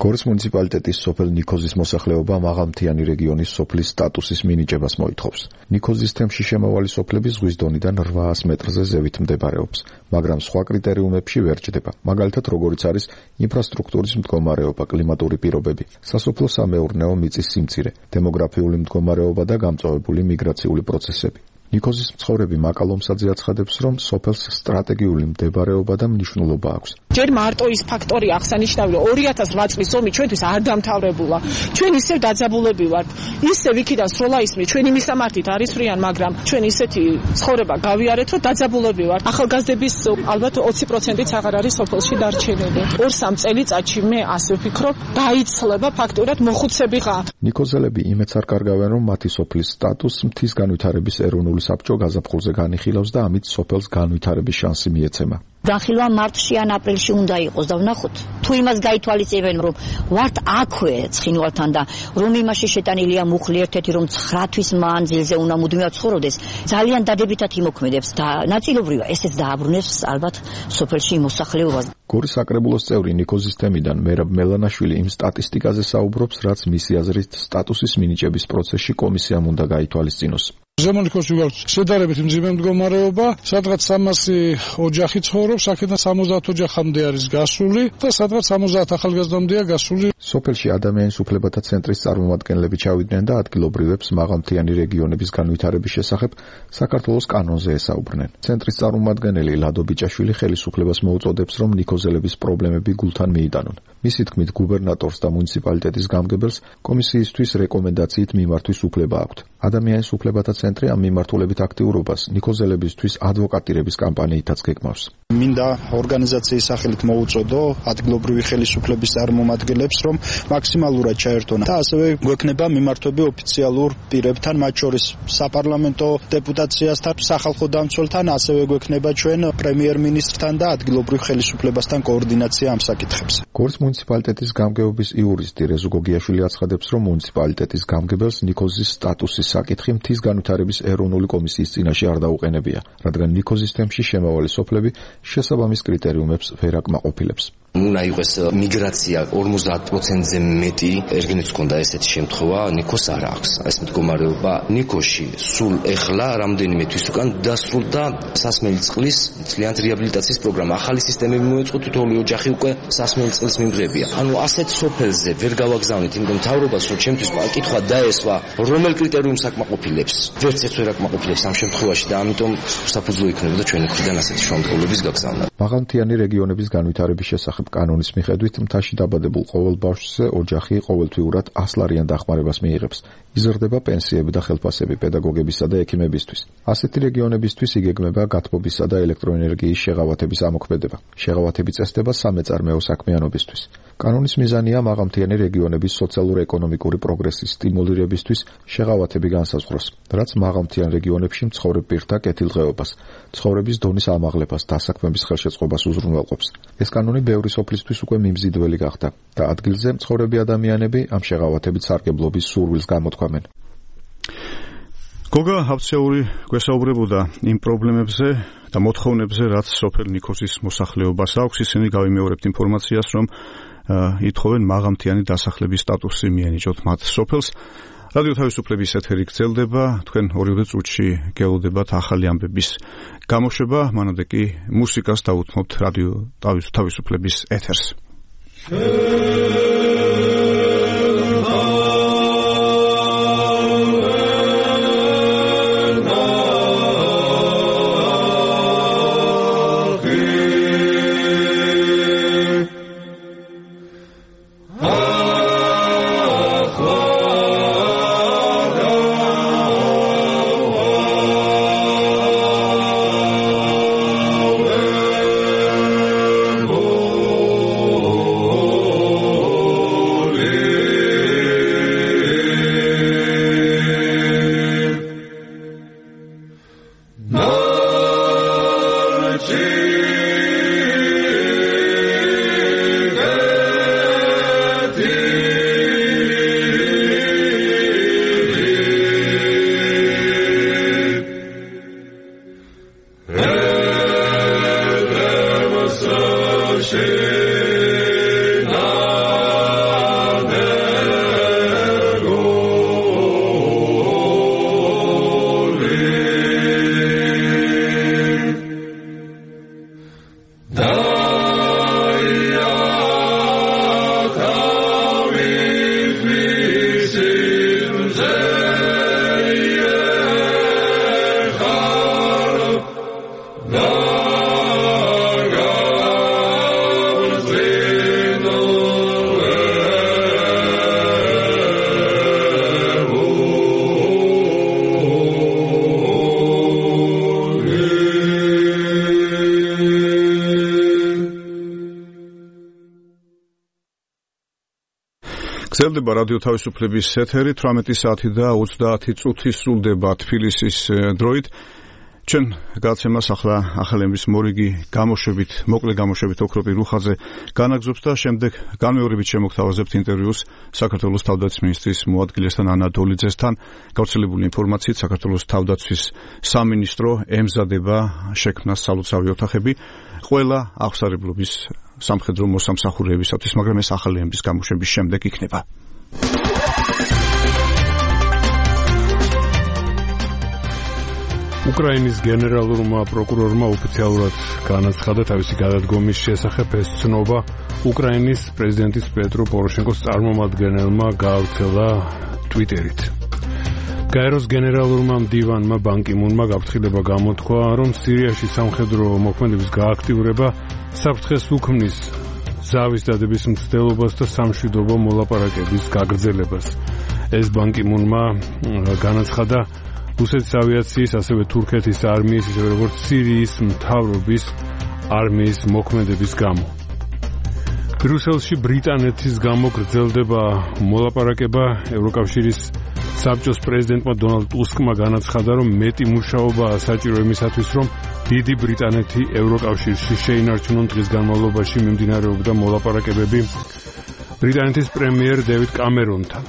გორის მუნიციპალიტეტის სოფელ ნიქოზის მოსახლეობა მაღალმთიანი რეგიონის სოფლის სტატუსის მინიჭებას მოითხოვს. ნიქოზის თემში შემავალი სოფლები ზღვის დონიდან 800 მეტრზე ზევით მდებარეობს, მაგრამ სხვა კრიტერიუმებში ვერ ჭდება. მაგალითად, როგორიც არის ინფრასტრუქტურის მდგომარეობა, კლიმატური პირობები, სასოფლო-სამეურნეო მიწის სიმცირე, დემოგრაფიული მდგომარეობა და გამწვავებული მიგრაციული პროცესები. ნიქოზის მცხოვრები მაკალომსაძე აცხადებს, რომ სოფელს სტრატეგიული მდებარეობა და მნიშვნელობა აქვს. ჯერ მარტო ის ფაქტორი აღსანიშნავია, 2008 წლის ომი ჩვენთვის არ დამთავრებულა. ჩვენ ისევ დაძაბულები ვართ. ისევ იქიდან სროლა ისმის, ჩვენი მისამართით არის ფრიან, მაგრამ ჩვენ ისეთი ცხოვრება გავიარეთ, რომ დაძაბულები ვართ. ახალგაზრდების ალბათ 20%-იც აღარ არის სოფელში დარჩენილი. 2-3 წელიწადში მე ასე ვფიქრობ, დაიცლება ფაქტურად მოხუცებიღა. ნიქოზელები იმედს არ კარგავენ, რომ მათი სოფლის სტატუსს მთის განვითარების ეროვნული საბჭო გაზაფხულზე განიხილავს და ამით სოფელს განვითარების შანსი მიეცემა. განხილვა მარტში ან აპრილში უნდა იყოს და ვნახოთ თუ იმას გაითვალისწინებენ რომ ვართ აქვე ცხინვალთან და რომ იმაში შეტანილია მუხლი ერთ-ერთი რომ 9 თვის მანძილზე უნდა მუდმივად ცხოვრობდეს ძალიან დადებითად იმოქმედებს და ნაწილობრივად ესეც დააბრუნებს ალბათ სოფელში მოსახლეობას. გორის საკრებულოს წევრი ნიკოზის თემიდან მერაბ მელანაშვილი იმ სტატისტიკაზე საუბრობს, რაც მისი აზრით სტატუსის მინიჭების პროცესში კომისიამ უნდა გაითვალისწინოს. ზემონიქოში გვაქვს შედარებით მძიმე მდგომარეობა, სადღაც 300 ოჯახი ცხოვრობს, აქედან 70 ოჯახამდე არის გასული და სადღაც 70 ახალგაზრდამდეა გასული. სოფელში ადამიანის უფლებათა ცენტრის წარმომადგენლები ჩავიდნენ და ადგილობრივებს მაღალმთიანი რეგიონების განვითარების შესახებ საქართველოს კანონზე ესაუბრნენ. ცენტრის წარმომადგენელი ლადო ბიჭაშვილი ხელისუფლებას მოუწოდებს, რომ ნიკოზელების პრობლემები გულთან მიიტანონ. მისი თქმით, გუბერნატორს და მუნიციპალიტეტის გამგებელს კომისიისთვის რეკომენდაციით მიმართვის უფლება აქვთ. ადამიანის უფლებათა ცენტრი ამ მიმართულებით აქტიურობას ნიკოზელებისთვის ადვოკატირების კამპანიითაც გეგმავს. მინდა ორგანიზაციის სახელით მოუწოდო ადგილობრივი ხელისუფლების წარმომადგენლებს, რომ მაქსიმალურად ჩაერთონ და ასევე გვექნება მიმართვები ოფიციალურ პირებთან, მათ შორის საპარლამენტო დეპუტაციასთან, სახალხო დამცველთან, ასევე გვექნება ჩვენ პრემიერ-მინისტრთან და ადგილობრივ ხელისუფლებასთან კოორდინაცია ამ საკითხებზე. გორის მუნიციპალიტეტის გამგეობის იურისტი რეზო გოგიაშვილი აცხადებს, რომ მუნიციპალიტეტის გამგებელს ნიკოზის სტატუსის საკითხი მთის განვითარების ეროვნული კომისიის წინაშე არ დაუყენებია, რადგან ნიკოზის თემში შემავალი სოფლები შესაბამის კრიტერიუმებს ვერ აკმაყოფილებს. უნდა იყოს მიგრაცია 50%-ზე მეტი, ერგენიც ჰქონდა ესეთი შემთხვევა, ნიკოს არ აქვს. ეს მდგომარეობა ნიკოში სულ ეხლა რამდენიმე თვის უკან დასრულდა სასმელი წყლის მთლიანად რეაბილიტაციის პროგრამა. ახალი სისტემები მოეწყო, თითოეული ოჯახი უკვე სასმელი წყლის მიმღებია. ანუ ასეთ სოფელზე ვერ გავაგზავნით, იმიტომ მთავრობას რომ ჩემთვის კითხვა დაესვა, რომელ კრიტერიუმს აკმაყოფილებს. ვერც ერთ ვერ აკმაყოფილებს ამ შემთხვევაში და ამიტომ საფუძველი იქნებოდა ჩვენი მხრიდან ასეთი შემთხვევების გაგზავნა. მაღალმთიანი რეგიონების განვითარების შესახებ კანონის მიხედვით მთაში დაბადებულ ყოველ ბავშვზე ოჯახი ყოველთვიურად 100 ლარიან დახმარებას მიიღებს. იზრდება პენსიები და ხელფასები პედაგოგებისა და ექიმებისთვის. ასეთი რეგიონებისთვის იგეგმება გათბობისა და ელექტროენერგიის შეღავათების ამოქმედება. შეღავათები წესდება სამეწარმეო საქმიანობისთვის. კანონის მიზანია მაღალმთიანი რეგიონების სოციალურ-ეკონომიკური პროგრესის სტიმულირებისთვის შეღავათები განსაზღვროს, რაც მაღალმთიან რეგიონებში მცხოვრებ პირთა კეთილდღეობას, ცხოვრების დონის ამაღლებას, დასაქმების ხელშეწყობას უზრუნველყოფს. ეს კანონი ბევრი სოფლისთვის უკვე მიმზიდველი გახდა და ადგილზე მცხოვრები ადამიანები ამ შეღავათებით სარგებლობის სურვილს გამოთქვამენ. გოგა აფცეული გვესაუბრებოდა იმ პრობლემებზე და მოთხოვნებზე, რაც სოფელ ნიკოზის მოსახლეობას აქვს. ისინი გავიმეორებთ ინფორმაციას, რომ ითხოვენ მაღალმთიანი დასახლების სტატუსი მიენიჭოთ მათ სოფელს. რადიო თავისუფლების ეთერი გრძელდება, თქვენ ორივე წუთში გელოდებათ ახალი ამბების გამოშვება, მანამდე კი მუსიკას დაუთმობთ რადიო თავისუფლების ეთერს. გრძელდება რადიო თავისუფლების ეთერი 18 საათი და 30 წუთი სრულდება თბილისის დროით. ჩვენ გადაცემას ახლა ახალების მორიგი გამოშვებით, მოკლე გამოშვებით ოქროპი რუხაძე განაგზობს და შემდეგ განმეორებით შემოგთავაზებთ ინტერვიუს საქართველოს თავდაცვის მინისტრის მოადგილესთან ანა დოლიძესთან. გავრცელებული ინფორმაციით საქართველოს თავდაცვის სამინისტრო ემზადება შექმნას სალოცავი ოთახები ყველა აღსარებლობის სამხედრო მოსამსახურეებისათვის, მაგრამ ეს ახალების გამოშვების შემდეგ იქნება. უკრაინის გენერალურმა პროკურორმა ოფიციალურად განაცხადა თავისი გადადგომის შესახებ. ეს ცნობა უკრაინის პრეზიდენტის პეტრო პოროშენკოს წარმომადგენელმა გაავრცელა ტვიტერით. გაეროს გენერალურმა მდივანმა ბან კი მუნმა გაფრთხილება გამოთქვა, რომ სირიაში სამხედრო მოქმედების გააქტიურება საფრთხეს უქმნის ზავის დადების მცდელობას და სამშვიდობო მოლაპარაკების გაგრძელებას. ეს ბან კი მუნმა განაცხადა რუსეთის ავიაციის, ასევე თურქეთის არმიის, ისევე როგორც სირიის მთავრობის არმიის მოქმედების გამო. ბრიუსელში ბრიტანეთის გამო გრძელდება მოლაპარაკება. ევროკავშირის საბჭოს პრეზიდენტმა დონალდ ტუსკმა განაცხადა, რომ მეტი მუშაობაა საჭირო იმისათვის, რომ დიდი ბრიტანეთი ევროკავშირში შეინარჩუნონ. დღის განმავლობაში მიმდინარეობდა მოლაპარაკებები ბრიტანეთის პრემიერ დევიდ კამერონთან.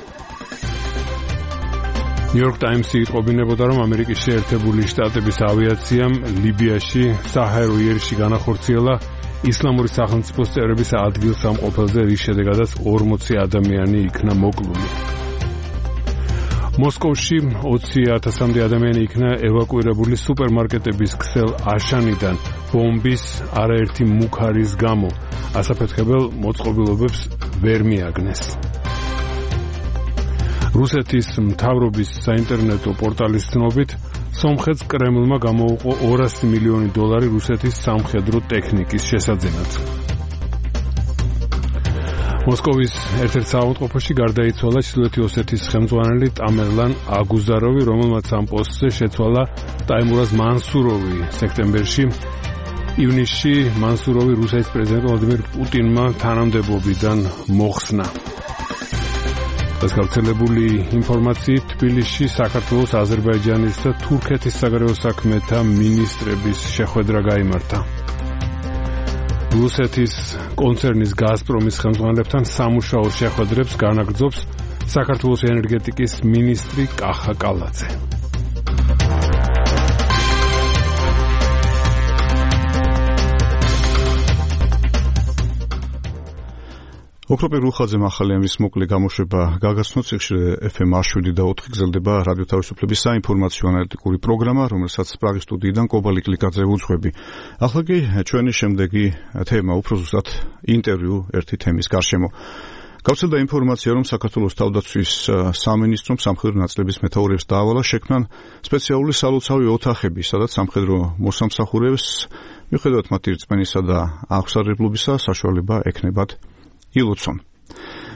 ნიუ-იორკ ტაიმსი იტყობინებოდა, რომ ამერიკის შეერთებული შტატების ავიაციამ ლიბიაში საჰაერო იერში განახორციელა ისლამური სახელმწიფოს წევრების ადგილსამყოფელზე, რის შედეგადაც 40 ადამიანი იქნა მოკლული. მოსკოვში 20,000-მდე ადამიანი იქნა ევაკუირებული სუპერმარკეტების ქსელ აშანიდან ბომბის არაერთი მუქარის გამო. ასაფეთქებელ მოწყობილობებს ვერ მიაგნეს. რუსეთის მთავრობის საინტერნეტო პორტალის ცნობით, სომხეთს კრემლმა გამოუყო $200 მილიონი რუსეთის სამხედრო ტექნიკის შესაძენად. მოსკოვის ერთ-ერთ საავადმყოფოში გარდაიცვალა ჩრდილოეთი ოსეთის ხელმძღვანელი ტამერლან აგუზაროვი, რომელმაც ამ პოსტზე შეცვალა ტაიმურაზ მანსუროვი სექტემბერში. ივნისში მანსუროვი რუსეთის პრეზიდენტ ვლადიმირ პუტინმა თანამდებობიდან მოხსნა. ეს გავრცელებული ინფორმაციით თბილისში საქართველოს, აზერბაიჯანის და თურქეთის საგარეო საქმეთა მინისტრების შეხვედრა გაიმართა. რუსეთის კონცერნის გაზპრომის ხელმძღვანელებთან სამუშაო შეხვედრებს განაგრძობს საქართველოს ენერგეტიკის მინისტრი კახა კალაძე. ოქროპი რუხაძე ახალების მოკლე გამოშვება გაგაცნოთ. ციხეში FM 7 და 4 გრძელდება რადიო თავისუფლების საინფორმაციო ანალიტიკური პროგრამა, რომელსაც პრაღის სტუდიიდან კობალი კლიკაძე უძღვები. ახლა კი ჩვენი შემდეგი თემა, უფრო ზუსტად ინტერვიუ ერთი თემის გარშემო. გავრცელდა ინფორმაცია, რომ საქართველოს თავდაცვის სამინისტრომ სამხედრო ნაწილების მეთაურებს დაავალა შექმნან სპეციალური სალოცავი ოთახები, სადაც სამხედრო მოსამსახურეებს მიუხედავად მათი რწმენისა და აღსარებლობისა საშუალება ექნებათ ილოცონ.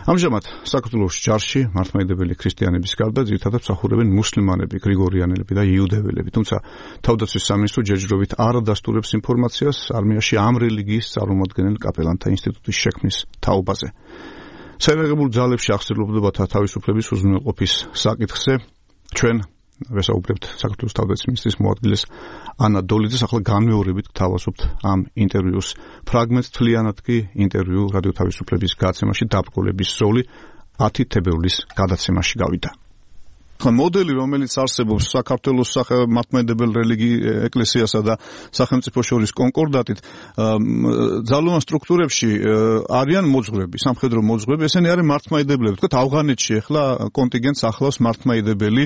ამჟამად საქართველოს ჯარში მართლმადიდებელი ქრისტიანების გარდა ძირითადად მსახურებენ მუსლიმანები, გრიგორიანელები და იუდეველები, თუმცა თავდაცვის სამინისტრო ჯერჯერობით არ ადასტურებს ინფორმაციას არმიაში ამ რელიგიის წარმომადგენელ კაპელანთა ინსტიტუტის შექმნის თაობაზე. საერაგებულ ძალებში აღსანიშნავად თავისუფლების უზრუნველყოფის საკითხზე ჩვენ ვესაუბრებთ საქართველოს თავდაცვის მინისტრის მოადგილეს ანა დოლიძეს. ახლა განმეორებით გთავაზობთ ამ ინტერვიუს ფრაგმენტს. თლიანად კი ინტერვიუ რადიო თავისუფლების გადაცემაში დაბრკოლების როლი 10 თებერვლის გადაცემაში გავიდა. მოდელი, რომელიც არსებობს საქართველოს მართლმადიდებელ ეკლესიასა და სახელმწიფო შორის კონკორდატით, ძალოვან სტრუქტურებში არიან მოძღვრები, სამხედრო მოძღვრები, ესენი არიან მართლმადიდებლები. თქვათ ავღანეთში ახლა კონტინგენტს ახლავს მართლმადიდებელი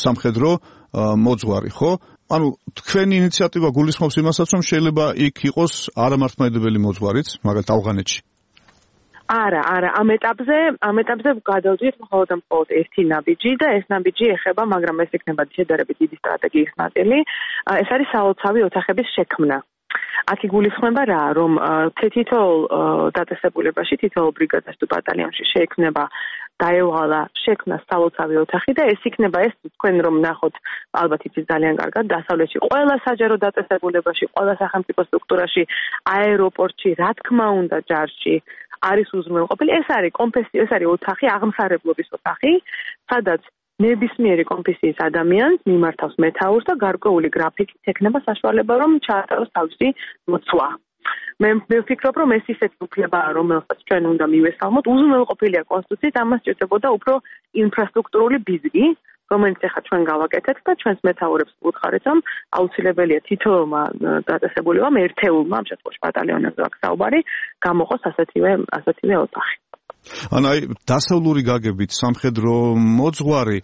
სამხედრო მოძღვარი, ხო? ანუ თქვენი ინიციატივა გულისხმობს იმასაც, რომ შეიძლება იქ იყოს არამართლმადიდებელი მოძღვარიც, მაგალითად ავღანეთში. არა, ამ ეტაპზე გადავდივით მხოლოდ ერთი ნაბიჯი და ეს ნაბიჯი ეხება, მაგრამ ეს იქნება შედარებით დიდი სტრატეგიის ნაწილი. ეს არის სალოცავი ოთახების შექმნა. აქ იგულისხმება რა, რომ თითოეულ დაწესებულებაში, თითოეულ ბრიგადაში თუ ბატალიონში შეექმნება დაევალა შექმნა სალოცავი ოთახი და ეს იქნება ეს თქვენ რომ ნახოთ, ალბათ იცით ძალიან კარგად, დასავლეთში ყველა საჯარო დაწესებულებაში, ყველა სახელმწიფო სტრუქტურაში, აეროპორტში, რა თქმა უნდა ჯარში არის უზრუნველყოფილი. ეს არის ოთახი, აღმსარებლობის ოთახი, სადაც ნებისმიერი კონფესიის ადამიანს მიმართავს მეთაურს და გარკვეული გრაფიკით ექნება საშუალება, რომ ჩაატაროს თავისი მოცვა. მე ვფიქრობ, რომ ეს ისეთი უფლებაა, რომელსაც ჩვენ უნდა მივესალმოთ. უზრუნველყოფილია კონსტიტუციით, ამას სჭირდებოდა უფრო ინფრასტრუქტურული ბიზნესი, რომელიც ახლა ჩვენ გავაკეთეთ და ჩვენს მეთაურებს ვუთხარით, რომ აუცილებელია თითოეულმა დაწესებულებამ ერთეულმა, ამ შემთხვევაში ბატალიონებზე აქვს საუბარი, გამოყოს ასეთივე ოთახი. აი დასავლური გაგებით სამხედრო მოძღვარი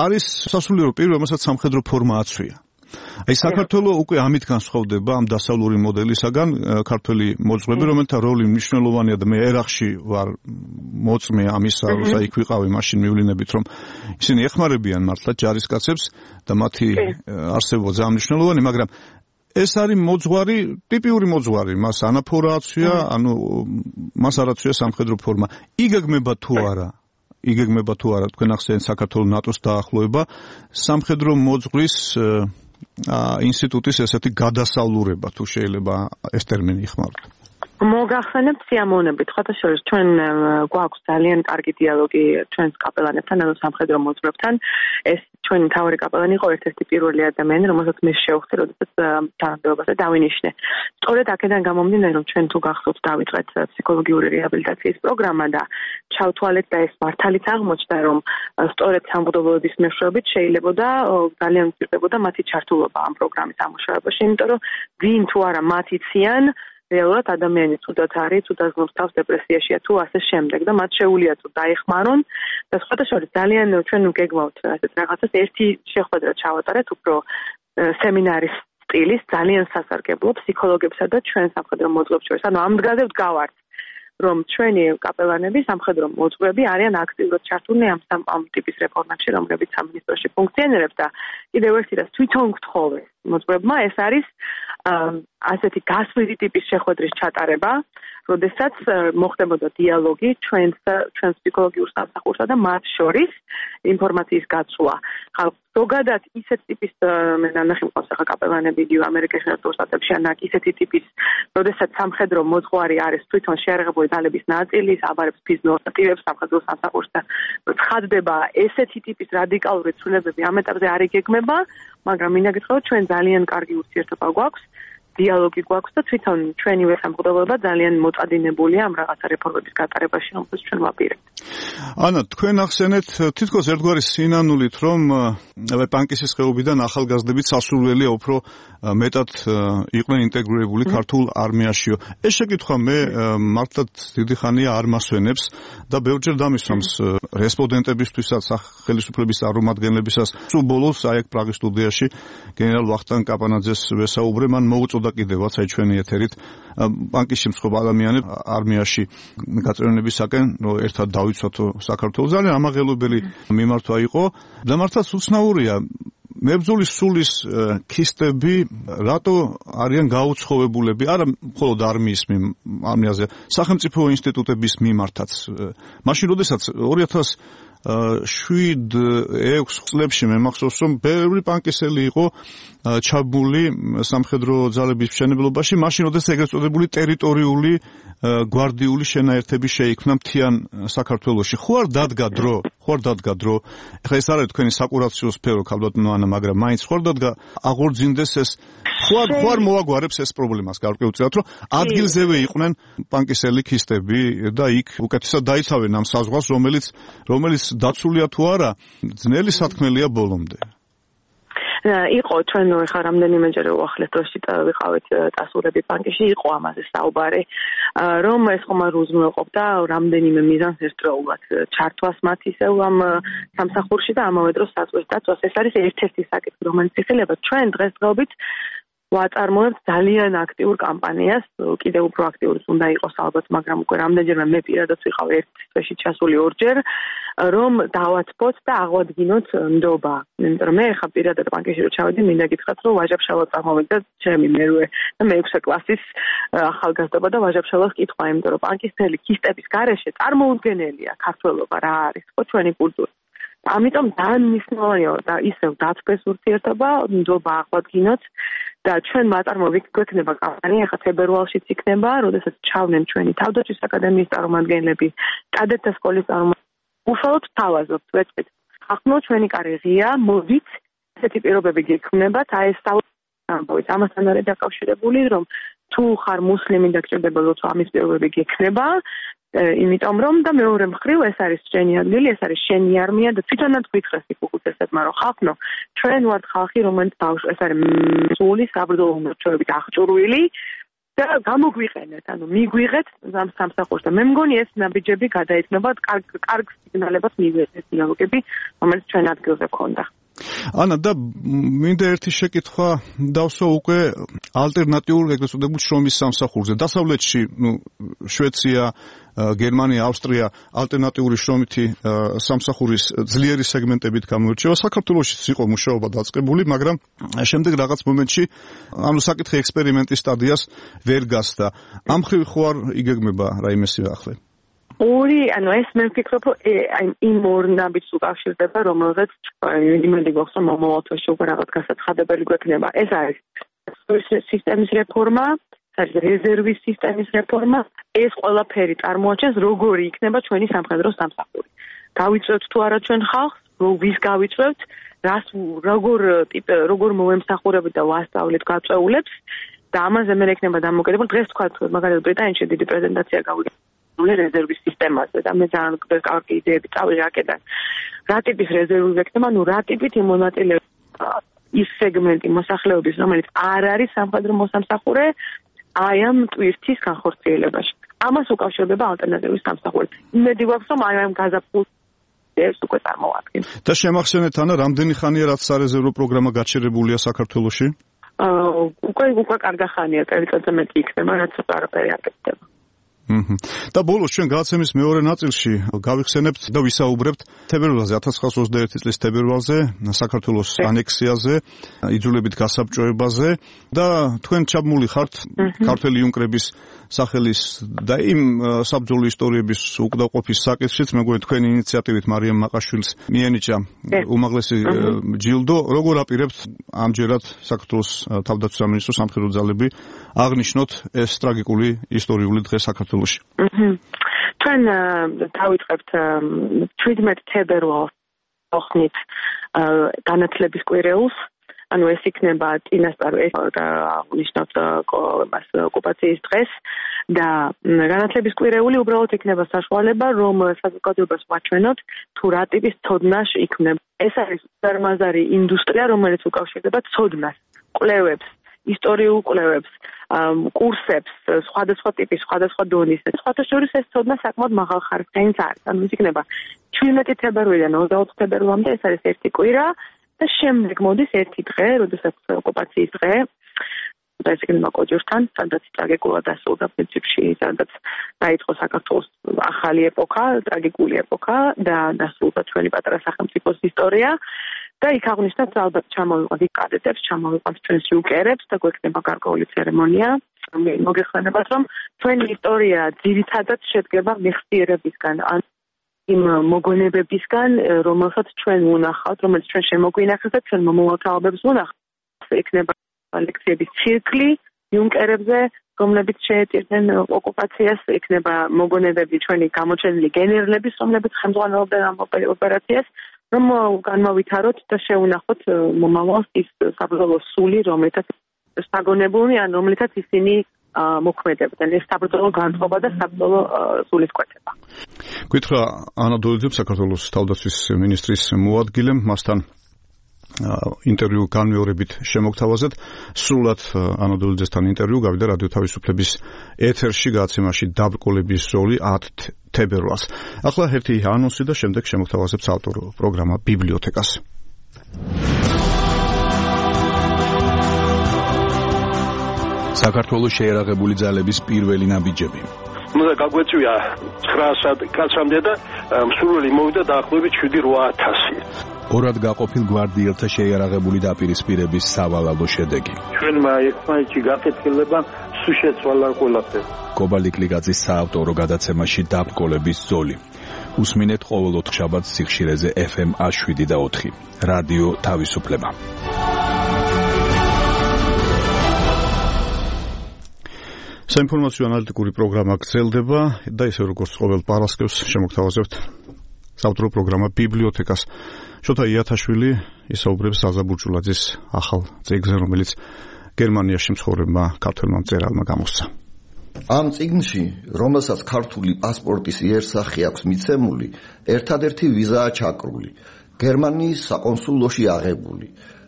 არის სასულიერო პირი, რომელსაც სამხედრო ფორმა აცვია. აი საქართველოს უკვე ამით განსხვავდება ამ დასავლური მოდელისაგან ქართველი მოძღვები, რომელთა როლი მნიშვნელოვანია და მე ერახში ვარ მოწმე ამისა, როცა იქ ვიყავი, მაშინ მივლინებით, რომ ისინი ეხმარებიან მართლა ჯარისკაცებს და მათი არსებობა ძალიან მნიშვნელოვანი, მაგრამ ეს არის მოძღვარი, ტიპიური მოძღვარი, მას ანაფორა აცვია, ანუ მას არ აცვია სამხედრო ფორმა. იგეგმება თუ არა, თქვენ ახსენეთ საქართველოს ნატოს დაახლოება, სამხედრო მოძღვრის ინსტიტუტის ესეთი გადასავლურება, თუ შეიძლება ეს ტერმინი იხმაროთ. მოგახსენებთ სიამოვნებით, ხოთა შორის ჩვენ გვაქვს ძალიან კარგი დიალოგი ჩვენს კაპელანებთან, ანუ სამხედრო მოძღვრებთან. ეს ჩვენი მთავარი კაპელანი იყო ერთ-ერთი პირველი ადამიანი, რომელსაც მე შევხვდი, როდესაც თანამდებობაზე დავინიშნე. სწორედ აქედან გამომდინარე, რომ ჩვენ თუ გახსოვთ დავიწყეთ ფსიქოლოგიური რეაბილიტაციის პროგრამა და ჩავთვალეთ და ეს მართალიც აღმოჩნდა, რომ სწორედ სამღვდელოების მეშვეობით შეიძლებოდა ძალიან უჭირდებოდა მათი ჩართულობა ამ პროგრამის ამუშავებაში, იმიტომ რომ ვინ თუ არა მათ იციან რეალურად ადამიანი თუდად არის, თუდად გნობს თავს დეპრესიაშია თუ ასე შემდეგ და მათ შეუძლია თუ დაეხმარონ და სხვათა შორის ძალიან ჩვენ გეგმავთ ასეთ რაღაცას ერთი შეხვედრა ჩავატარეთ უფრო სემინარის სტილის ძალიან სასარგებლო ფსიქოლოგებსა და ჩვენ სამხედრო მოძღვრებს შორის. ანუ ამ მდგრადზე ვდგავართ, რომ ჩვენი კაპელანები, სამხედრო მოძღვრები არიან აქტიურად ჩართულნი ამ ტიპის რეფორმებში, რომლებიც სამინისტროში ფუნქციონირებს და კიდევ ერთი რას თვითონ გთხოვე მოძღვრებმა, ეს არის ასეთი გასვლითი ტიპის შეხვედრის ჩატარება, როდესაც მოხდებოდა დიალოგი ჩვენს ფსიქოლოგიურ სამსახურსა და მათ შორის ინფორმაციის გაცვლა. ზოგადად ისეთ ტიპის მე ნახე მყავს ახლა კაპელანები იგივე ამერიკაში ნატოს შტატებში ან ისეთი ტიპის, როდესაც სამხედრო მოძღვარი არის თვითონ შეერაღებული ძალების ნაწილი, აბარებს ფიზიოლოგიურ აქტივებს სამხედრო სამსახურს და ცხადდება ესეთი ტიპის რადიკალური ცვლილებები ამ ეტაპზე არ იგეგმება, მაგრამ მინდა გითხრათ, ჩვენ ძალიან კარგი ურთიერთობა გვაქვს. დიალოგი გვაქვს და თვითონ ჩვენივე სამღვდელოება ძალიან მოწადინებულია ამ რაღაცა რეფორმების გატარებაში, რომელსაც ჩვენ ვაპირებთ. ანა, თქვენ ახსენეთ თითქოს ერთგვარი სინანულით, რომ პანკისის ხეობიდან ახალგაზრდებით სასურველია უფრო მეტად იყვნენ ინტეგრირებული ქართულ არმიაშიო. ეს შეკითხვა მე მართლაც დიდი ხანია არ მასვენებს და ბევრჯერ დამისვამს რესპონდენტებისთვისაც, ხელისუფლების წარმომადგენლებისას. სულ ბოლოს აი აქ პრაღის სტუდიაში გენერალ ვახტანგ კაპანაძეს ვესაუბრე, მან მოუწოდა კიდევაც აი ჩვენი ეთერით პანკისში მსხვილ ადამიანებს არმიაში გაწევრიანებისაკენ ერთად დავიცვათ საქართველოს. ძალიან ამაღელვებელი მიმართვა იყო და მართლაც უცნაურია მებრძოლის სულის ქისტები რატო არიან გაუცხოვებულები, არა მხოლოდ არმიაზე, სახელმწიფო ინსტიტუტების მიმართაც. მაშინ როდესაც 2007-6 წლებში მე მახსოვს, რომ ბევრი პანკისელი იყო ჩაბმული სამხედრო ძალების მშენებლობაში, მაშინ როდესაც ეგრეთ წოდებული ტერიტორიული გვარდიული შენაერთები შეიქმნა მთიან საქართველოში. ხო არ დადგა დრო? ეხლა ეს არის თქვენი საკურაციო სფერო, ქალბატონო ანა, მაგრამ მაინც ხო არ დადგა აღორძინდეს ეს ხო არ მოაგვარებს ეს პრობლემას გარკვეულწილად, რომ ადგილზევე იყვნენ პანკისელი ქისტები და იქ უკეთესად დაიცავენ ამ საზღვარს, რომელიც დაცულია თუ არა, ძნელი სათქმელია ბოლომდე. იყო ჩვენ ხა რამდენიმეჯერ უახლეს დროში ვიყავით ტასურები პანკიში, იყო ამაზე საუბარი, რომ ეს ხომ არ უზრუნველყოფდა რამდენიმე მიზანს ერთდროულად ჩართვას მათ ისევ ამ სამსახურში და ამავე დროს საზღვრის დაცვას. ეს არის ერთ-ერთი საკითხი, რომელიც იხილება ჩვენ დღესდღეობით ვაწარმოებთ ძალიან აქტიურ კამპანიას, კიდევ უფრო აქტიური უნდა იყოს ალბათ, მაგრამ უკვე რამდენჯერმე მე პირადად ვიყავ ერთ თვეში ჩასული ორჯერ, რომ დავაცფოთ და აღვადგინოთ ნდობა. იმიტომ რომ მე ხა პირადად პანკიში რო ჩავედი, მინდა გითხრათ, რომ ვაჟაბშალა წარმოვიდა ჩემი მერვე და მე-6 კლასის ახალგაზრდობა და ვაჟაბშალას კითხვა, იმიტომ რომ პანკისელი ქისტების გარეშე წარმოუდგენელია ქართველობა რა არის, ხო ჩვენი კულტურა. ამიტომ ძალიან მნიშვნელოვანია და ისევ დათბეს ურთიერთობა, ნდობა აღვადგინოთ და ჩვენ მაწარმოებით გვექნება კამპანია, ხა თებერვალშიც იქნება, როდესაც ჩავდნენ ჩვენი თავდაცვის აკადემიის წარმომადგენლები, კადეტთა სკოლის წარმომადგენლები. უშუალოდ თავაზობთ, ვეწვით ხახნო ჩვენი კარი ღია, მოდით ესეთი პირობები გექმნებათ, აი ეს ამბავით ამასთან არის დაკავშირებული, რომ თუ ხარ მუსლიმი და გჭირდება თუ ამის პირობები გექნება, იმიტომ რომ და მეორე მხრივ ეს არის შენი ადგილი, ეს არის შენი არმია და თვითონაც გითხრას იქ უხუცესებმა რომ ხახნო ჩვენ ვართ ხალხი, რომელიც ეს არის სული საბრძოლო მორჩეებით აღჭურვილი და გამოგვიყენეთ, ანუ მიგვიღეთ ამ სამსახურს და მე მგონი ეს ნაბიჯები გადაეცნობა კარგ სიგნალებას მიიღეთ ეს დიალოგები, რომელიც ჩვენ ადგილზე ქონდა. ანა და მინდა ერთი შეკითხვა დავსვა უკვე ალტერნატიულ ეგრეთ წოდებულ შრომის სამსახურზე. დასავლეთში, შვეცია, გერმანია, ავსტრია ალტერნატიული შრომითი სამსახურის ძლიერი სეგმენტებით გამოირჩევა. საქართველოშიც იყო მუშაობა დაწყებული, მაგრამ შემდეგ რაღაც მომენტში ანუ საკითხი ექსპერიმენტის სტადიას ვერ გასდა. ამ ხრივ ხო არ იგეგმება რაიმე სიახლე? ანუ ეს მე ვფიქრობ, იმ ორ ნაბიჯს უკავშირდება, რომელზეც იმედი გვაქვს, რომ მომავალ თვეში უკვე რაღაც გასაცხადებელი გვექნება. ეს არის სისტემის რეფორმა, რეზერვის სისტემის რეფორმა, ეს ყველაფერი წარმოაჩენს, როგორი იქნება ჩვენი სამხედრო სამსახური. გავიწევთ თუ არა ჩვენ ხალხს, ვის გავიწევთ, როგორ მოვემსახურებით და ვასწავლეთ გაწეულებს და ამაზე მე ექნება დამოკიდებული. დღეს თქვა, მაგალითად ბრიტანეთში დიდი პრეზენტაცია გავიგე რეზერვის სისტემაზე და მე ძალიან კარგი იდეები წავიღე აქედან. რა ტიპის რეზერვი ვექნება, რა ტიპით იმონაწილეება ის სეგმენტი მოსახლეობის, რომელიც არ არის სამხედრო მოსამსახურე, აი ამ ტვირთის განხორციელებაში. ამას უკავშირდება ალტერნატივის სამსახური. იმედი გვაქვს, რომ აი ამ გაზაფხულს ეს უკვე წარმოვადგენ. და შემახსენეთ ანა, რამდენი ხანია რაც სარეზერვო პროგრამა გაჩერებულია საქართველოში? უკვე კარგი ხანია, წელიწადზე მეტი იქნება, რაც არაფერი არ გეცდება. და ბოლოს ჩვენ გადაცემის მეორე ნაწილში გავიხსენებთ და ვისაუბრებთ თებერვალზე 1921 წლის თებერვალზე საქართველოს ანექსიაზე, იძულებით გასაბჭოებაზე და თქვენ ჩაბმული ხართ ქართველი იუნკრების სახელის და იმ საბრძოლო ისტორიების უკდაყოფის საკითხშიც, მეგონი თქვენი ინიციატივით მარიამ მაყაშვილს მიენიჭა უმაღლესი ჯილდო. როგორ აპირებთ ამჯერად საქართველოს თავდაცვის სამინისტროს სამხედრო ძალები აღნიშნოთ ეს ტრაგიკული ისტორიული დღე საქართველოში? ჩვენ დავიწყებთ 17 თებერვალს ოხნით განათლების კვირეულს. ანუ ეს იქნება წინასწარ აღნიშნოთ ოკუპაციის დღეს და განათლების კვირეული უბრალოდ იქნება საშუალება, რომ საზოგადოებას ვაჩვენოთ თუ რა ტიპის ცოდნა იქმნება. ეს არის წარმაზარი ინდუსტრია, რომელიც უკავშირდება ცოდნას, კვლევებს, ისტორიულ კვლევებს, კურსებს, სხვადასხვა ტიპის, სხვადასხვა დონის. სხვათა შორის ეს ცოდნა საკმაოდ მაღალხარისხიანი არის. ანუ ის იქნება 17 თებერვალიდან 24 თებერვალამდე, ეს არის ერთი კვირა და შემდეგ მოდის ერთი დღე, როდესაც ოკუპაციის დღე, და ეს იქნება კოჯორთან, სადაც ტრაგიკულად დასრულდა პრინციპში, სადაც დაიწყო საქართველოს ახალი ეპოქა, ტრაგიკული ეპოქა და დასრულდა ჩვენი პატარა სახელმწიფოს ისტორია. და იქ აღნიშნავს ალბათ ჩამოვიყვანთ იქ კადეტებს, ჩამოვიყვანთ ჩვენს იუკერებს და გვექნება გარკვეული ცერემონია. მოგეხსენებათ, რომ ჩვენი ისტორია ძირითადად შედგება მეხსიერებისგან, ან იმ მოგონებებისგან, რომელსაც ჩვენ ვნახავთ, რომელიც ჩვენ შემოგვინახეთ და ჩვენ მომავალთაობებს ვნახავთ. იქნება ლექციების ციკლი იუნკერებზე, რომლებიც შეეწირნენ ოკუპაციას, იქნება მოგონებები ჩვენი გამოჩენილი გენერლების, რომლებიც ხელმძღვანელობდნენ ამ ოპერაციას, რომ განმავითაროთ და შეუნახოთ მომავალს ის საბრძოლო სული, რომელთაც საგონებულნი, ან რომელთაც ისინი მოქმედებდნენ. ეს საბრძოლო განწყობა და საბრძოლო სულის კვეთება. გითხრა ანა დოლიძემ, საქართველოს თავდაცვის მინისტრის მოადგილემ, მასთან ინტერვიუ განმეორებით შემოგთავაზეთ. სრულად ანა დოლიძესთან ინტერვიუ გავიდა რადიო თავისუფლების ეთერში გადაცემაში დაბრკოლების როლი 10 თებერვალს. ახლა ერთი ანონსი და შემდეგ შემოგთავაზებთ ავტორ პროგრამა ბიბლიოთეკას. საქართველოს შეერაღებული ძალების პირველი ნაბიჯები. უნდა გაგვეწვია 900 კაცამდე და მსურველი მოვიდა დაახლოებით 7-8000. ორად გაყოფილ გვარდიელთა შეიარაღებული დაპირისპირების სავალალო შედეგი. ჩვენმა ერთმანეთში გაკეთილება სულ შეცვალა ყველაფერი. კობალიკლიძის საავტორო გადაცემაში დაბრკოლების ზოლი. უსმინეთ ყოველ 4 შაბათს სიხშირეზე FM 7 და 4. რადიო თავისუფლება. საინფორმაციო ანალიტიკური პროგრამა გრძელდება და ისე როგორც ყოველ პარასკევს შემოგთავაზებთ საავტორო პროგრამა ბიბლიოთეკას შოთა იათაშვილი ისაუბრებს ზაზა ბურჭულაძის ახალ წიგნზე, რომელიც გერმანიაში მცხოვრებმა ქართველმა მწერალმა გამოსცა. ამ წიგნში, რომელსაც ქართული პასპორტის იერსახე აქვს მიცემული, ერთადერთი ვიზაა ჩაკრული, გერმანიის საკონსულოში აღებული.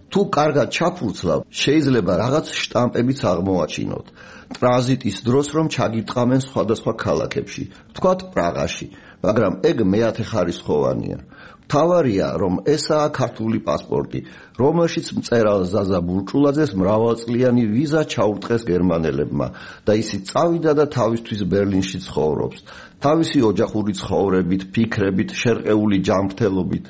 თუ კარგად ჩაფურცლავ, შეიძლება რაღაც შტამპებიც აღმოაჩინოთ. ტრანზიტის დროს რომ ჩაგიტყამენ სხვადასხვა ქალაქებში, თქვათ პრაღაში, მაგრამ ეგ მეათე ხარისხოვანია. მთავარია, რომ ესაა ქართული პასპორტი, რომელშიც მწერალ ზაზა ბურჭულაძეს მრავალწლიანი ვიზა ჩაურტყეს გერმანელებმა და ისიც წავიდა და თავისთვის ბერლინში ცხოვრობს, თავისი ოჯახური ცხოვრებით, ფიქრებით, შერყეული ჯანმრთელობით.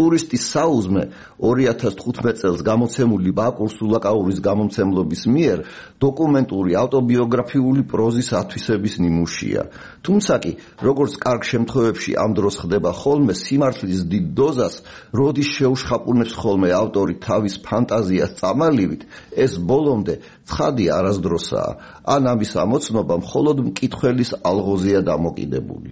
ტურისტის საუზმე 2015 წელს გამოცემული ბაკურ სულაკაურის გამომცემლობის მიერ დოკუმენტური ავტობიოგრაფიული პროზის ათვისების ნიმუშია. თუმცა კი, როგორც კარგ შემთხვევებში ამ დროს ხდება ხოლმე, სიმართლის დიდ დოზას, როდის შეუშხაპუნებს ხოლმე ავტორი თავის ფანტაზიას წამალივით, ეს ბოლომდე ცხადი არასდროსაა, ან ამის ამოცნობა მხოლოდ მკითხველის ალღოზია დამოკიდებული.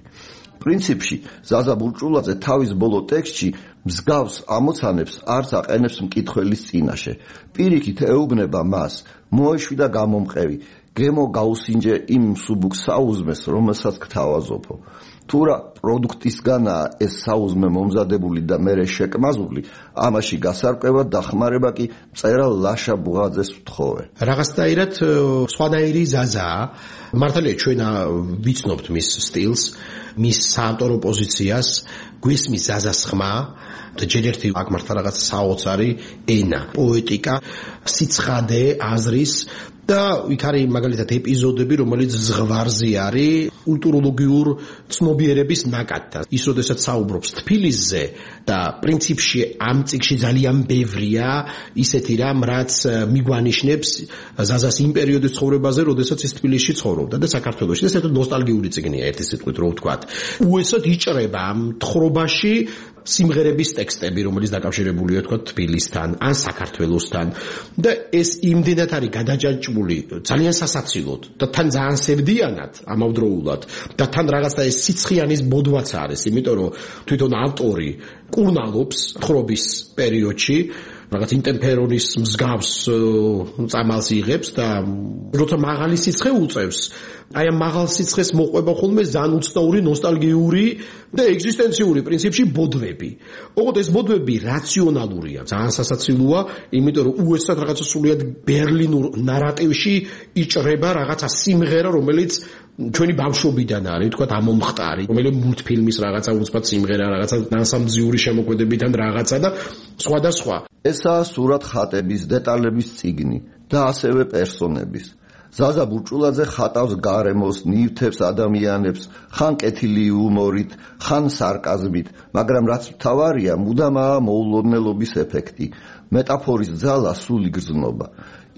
პრინციპში, ზაზა ბურჭულაძე თავის ბოლო ტექსტში მსგავს ამოცანებს არც აყენებს მკითხველის წინაშე. პირიქით ეუბნება მას, მოეშვი და გამომყევი, გემო გაუსინჯე იმ მსუბუქ საუზმეს, რომელსაც გთავაზობო. თუ რა პროდუქტისგანაა ეს საუზმე მომზადებული და მერე შეკმაზული, ამაში გასარკვევად დახმარება კი მწერალ ლაშა ბუღაძეს ვთხოვე. რაღაცნაირად სხვადასხვაირი ზაზაა, მართალია ჩვენ ვიცნობთ მის სტილს, მის საავტორო პოზიციას, გვესმის ზაზას ხმა და ჯერ ერთი აქ მართლა რაღაც საოცარი ენა, პოეტიკა, სიცხადე, აზრის და იქ არის მაგალითად ეპიზოდები, რომელიც ზღვარზე არის კულტუროლოგიურ ცნობიერების ნაკადთან. ის როდესაც საუბრობს თბილისზე და პრინციპში ამ წიგნში ძალიან ბევრია ისეთი რამ, რაც მიგვანიშნებს ზაზას იმ პერიოდის ცხოვრებაზე, როდესაც ის თბილისში ცხოვრობდა და საქართველოში. ეს ერთად ნოსტალგიური წიგნია, ერთი სიტყვით რო ვთქვათ. უესოდ იჭრება ამ თხრობაში სიმღერების ტექსტები, რომელიც დაკავშირებულია თქვა თბილისთან ან საქართველოსთან და ეს იმდენად არის გადაჯაჭვული ძალიან სასაცილოდ და თან ძალიან სევდიანად ამავდროულად და თან რაღაცა ეს სიცხიანის ბოდვაც არის, იმიტომ რომ თვითონ ავტორი კურნალობს თხრობის პერიოდში რაღაც ინტემპერონის მსგავს წამალს იღებს და როცა მაღალი სიცხე უწევს, აი ამ მაღალ სიცხეს მოყვება ხოლმე ძალიან უცნაური ნოსტალგიური და ეგზისტენციური პრინციპში ბოდვები. ოღონდ ეს ბოდვები რაციონალურია, ძალიან სასაცილოა, იმიტომ რომ უეცრად რაღაცა სულიად ბერლინურ ნარატივში იჭრება რაღაცა სიმღერა, რომელიც ჩვენი ბავშვობიდან არის, თქვა ამომხტარი, რომელიც მულტფილმის რაღაცა უცბად სიმღერა, რაღაცა ნანსამძიური შემოქმედებიდან რაღაცა და სხვადასხვა. ესაა სურათ ხატების, დეტალების წიგნი და ასევე პერსონების. ზაზა ბურჭულაძე ხატავს გარემოს, ნივთებს, ადამიანებს, ხან კეთილი იუმორით, ხან სარკაზმით, მაგრამ რაც მთავარია, მუდამაა მოულოდნელობის ეფექტი, მეტაფორის ძალა, სული გრძნობა.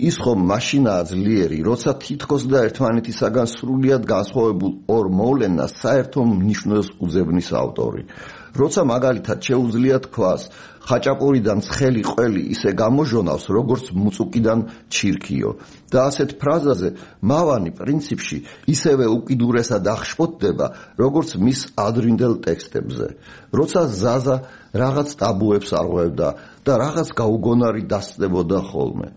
ის ხომ მაშინაა ძლიერი, როცა თითქოს და ერთმანეთისაგან სრულიად განსხვავებულ ორ მოვლენას საერთო მნიშვნელს უძებნის ავტორი. როცა მაგალითად შეუძლია თქვას, ხაჭაპურიდან ცხელი ყველი ისე გამოჟონავს, როგორც მუწუკიდან ჩირქიო და ასეთ ფრაზაზე მავანი პრინციპში ისევე უკიდურესად აღშფოთდება, როგორც მის ადრინდელ ტექსტებზე. როცა ზაზა რაღაც ტაბუებს არღვევდა და რაღაც გაუგონარი დასწდებოდა ხოლმე.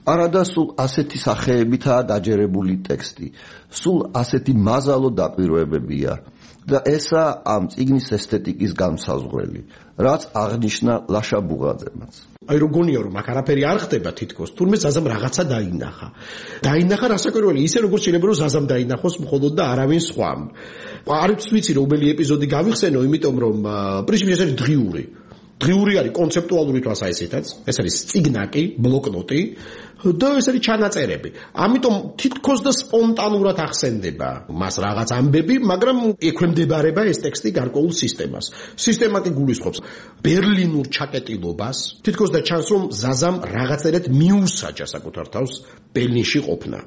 არადა სულ ასეთი სახეებითაა დაჯერებული ტექსტი, სულ ასეთი მაზალო დაკვირვებებია და ესაა ამ წიგნის ესთეტიკის განმსაზღვრელი, რაც აღნიშნა ლაშა ბუღაძემაც. აი რომ გონია რომ აქ არაფერი არ ხდება თითქოს, თურმე ზაზამ რაღაცა დაინახა. დაინახა რასაკვირველი, ისე როგორც შეიძლება რომ ზაზამ დაინახოს მხოლოდ და არავინ სხვამ. არ ვიცი რომელი ეპიზოდი გავიხსენო, იმიტომ რომ პრინციპში ეს არის დღიური. დღიური არის კონცეპტუალური თვალსაზრისითაც, ეს არის წიგნაკი, ბლოკნოტი და ეს არის ჩანაწერები. ამიტომ თითქოს და სპონტანურად ახსენდება მას რაღაც ამბები, მაგრამ ექვემდებარება ეს ტექსტი გარკვეულ სისტემას. სისტემა კი გულისხმობს ბერლინურ ჩაკეტილობას, თითქოს და ჩანს რომ ზაზამ რაღაცერად მიუსაჯა საკუთარ თავს ბერლინში ყოფნა.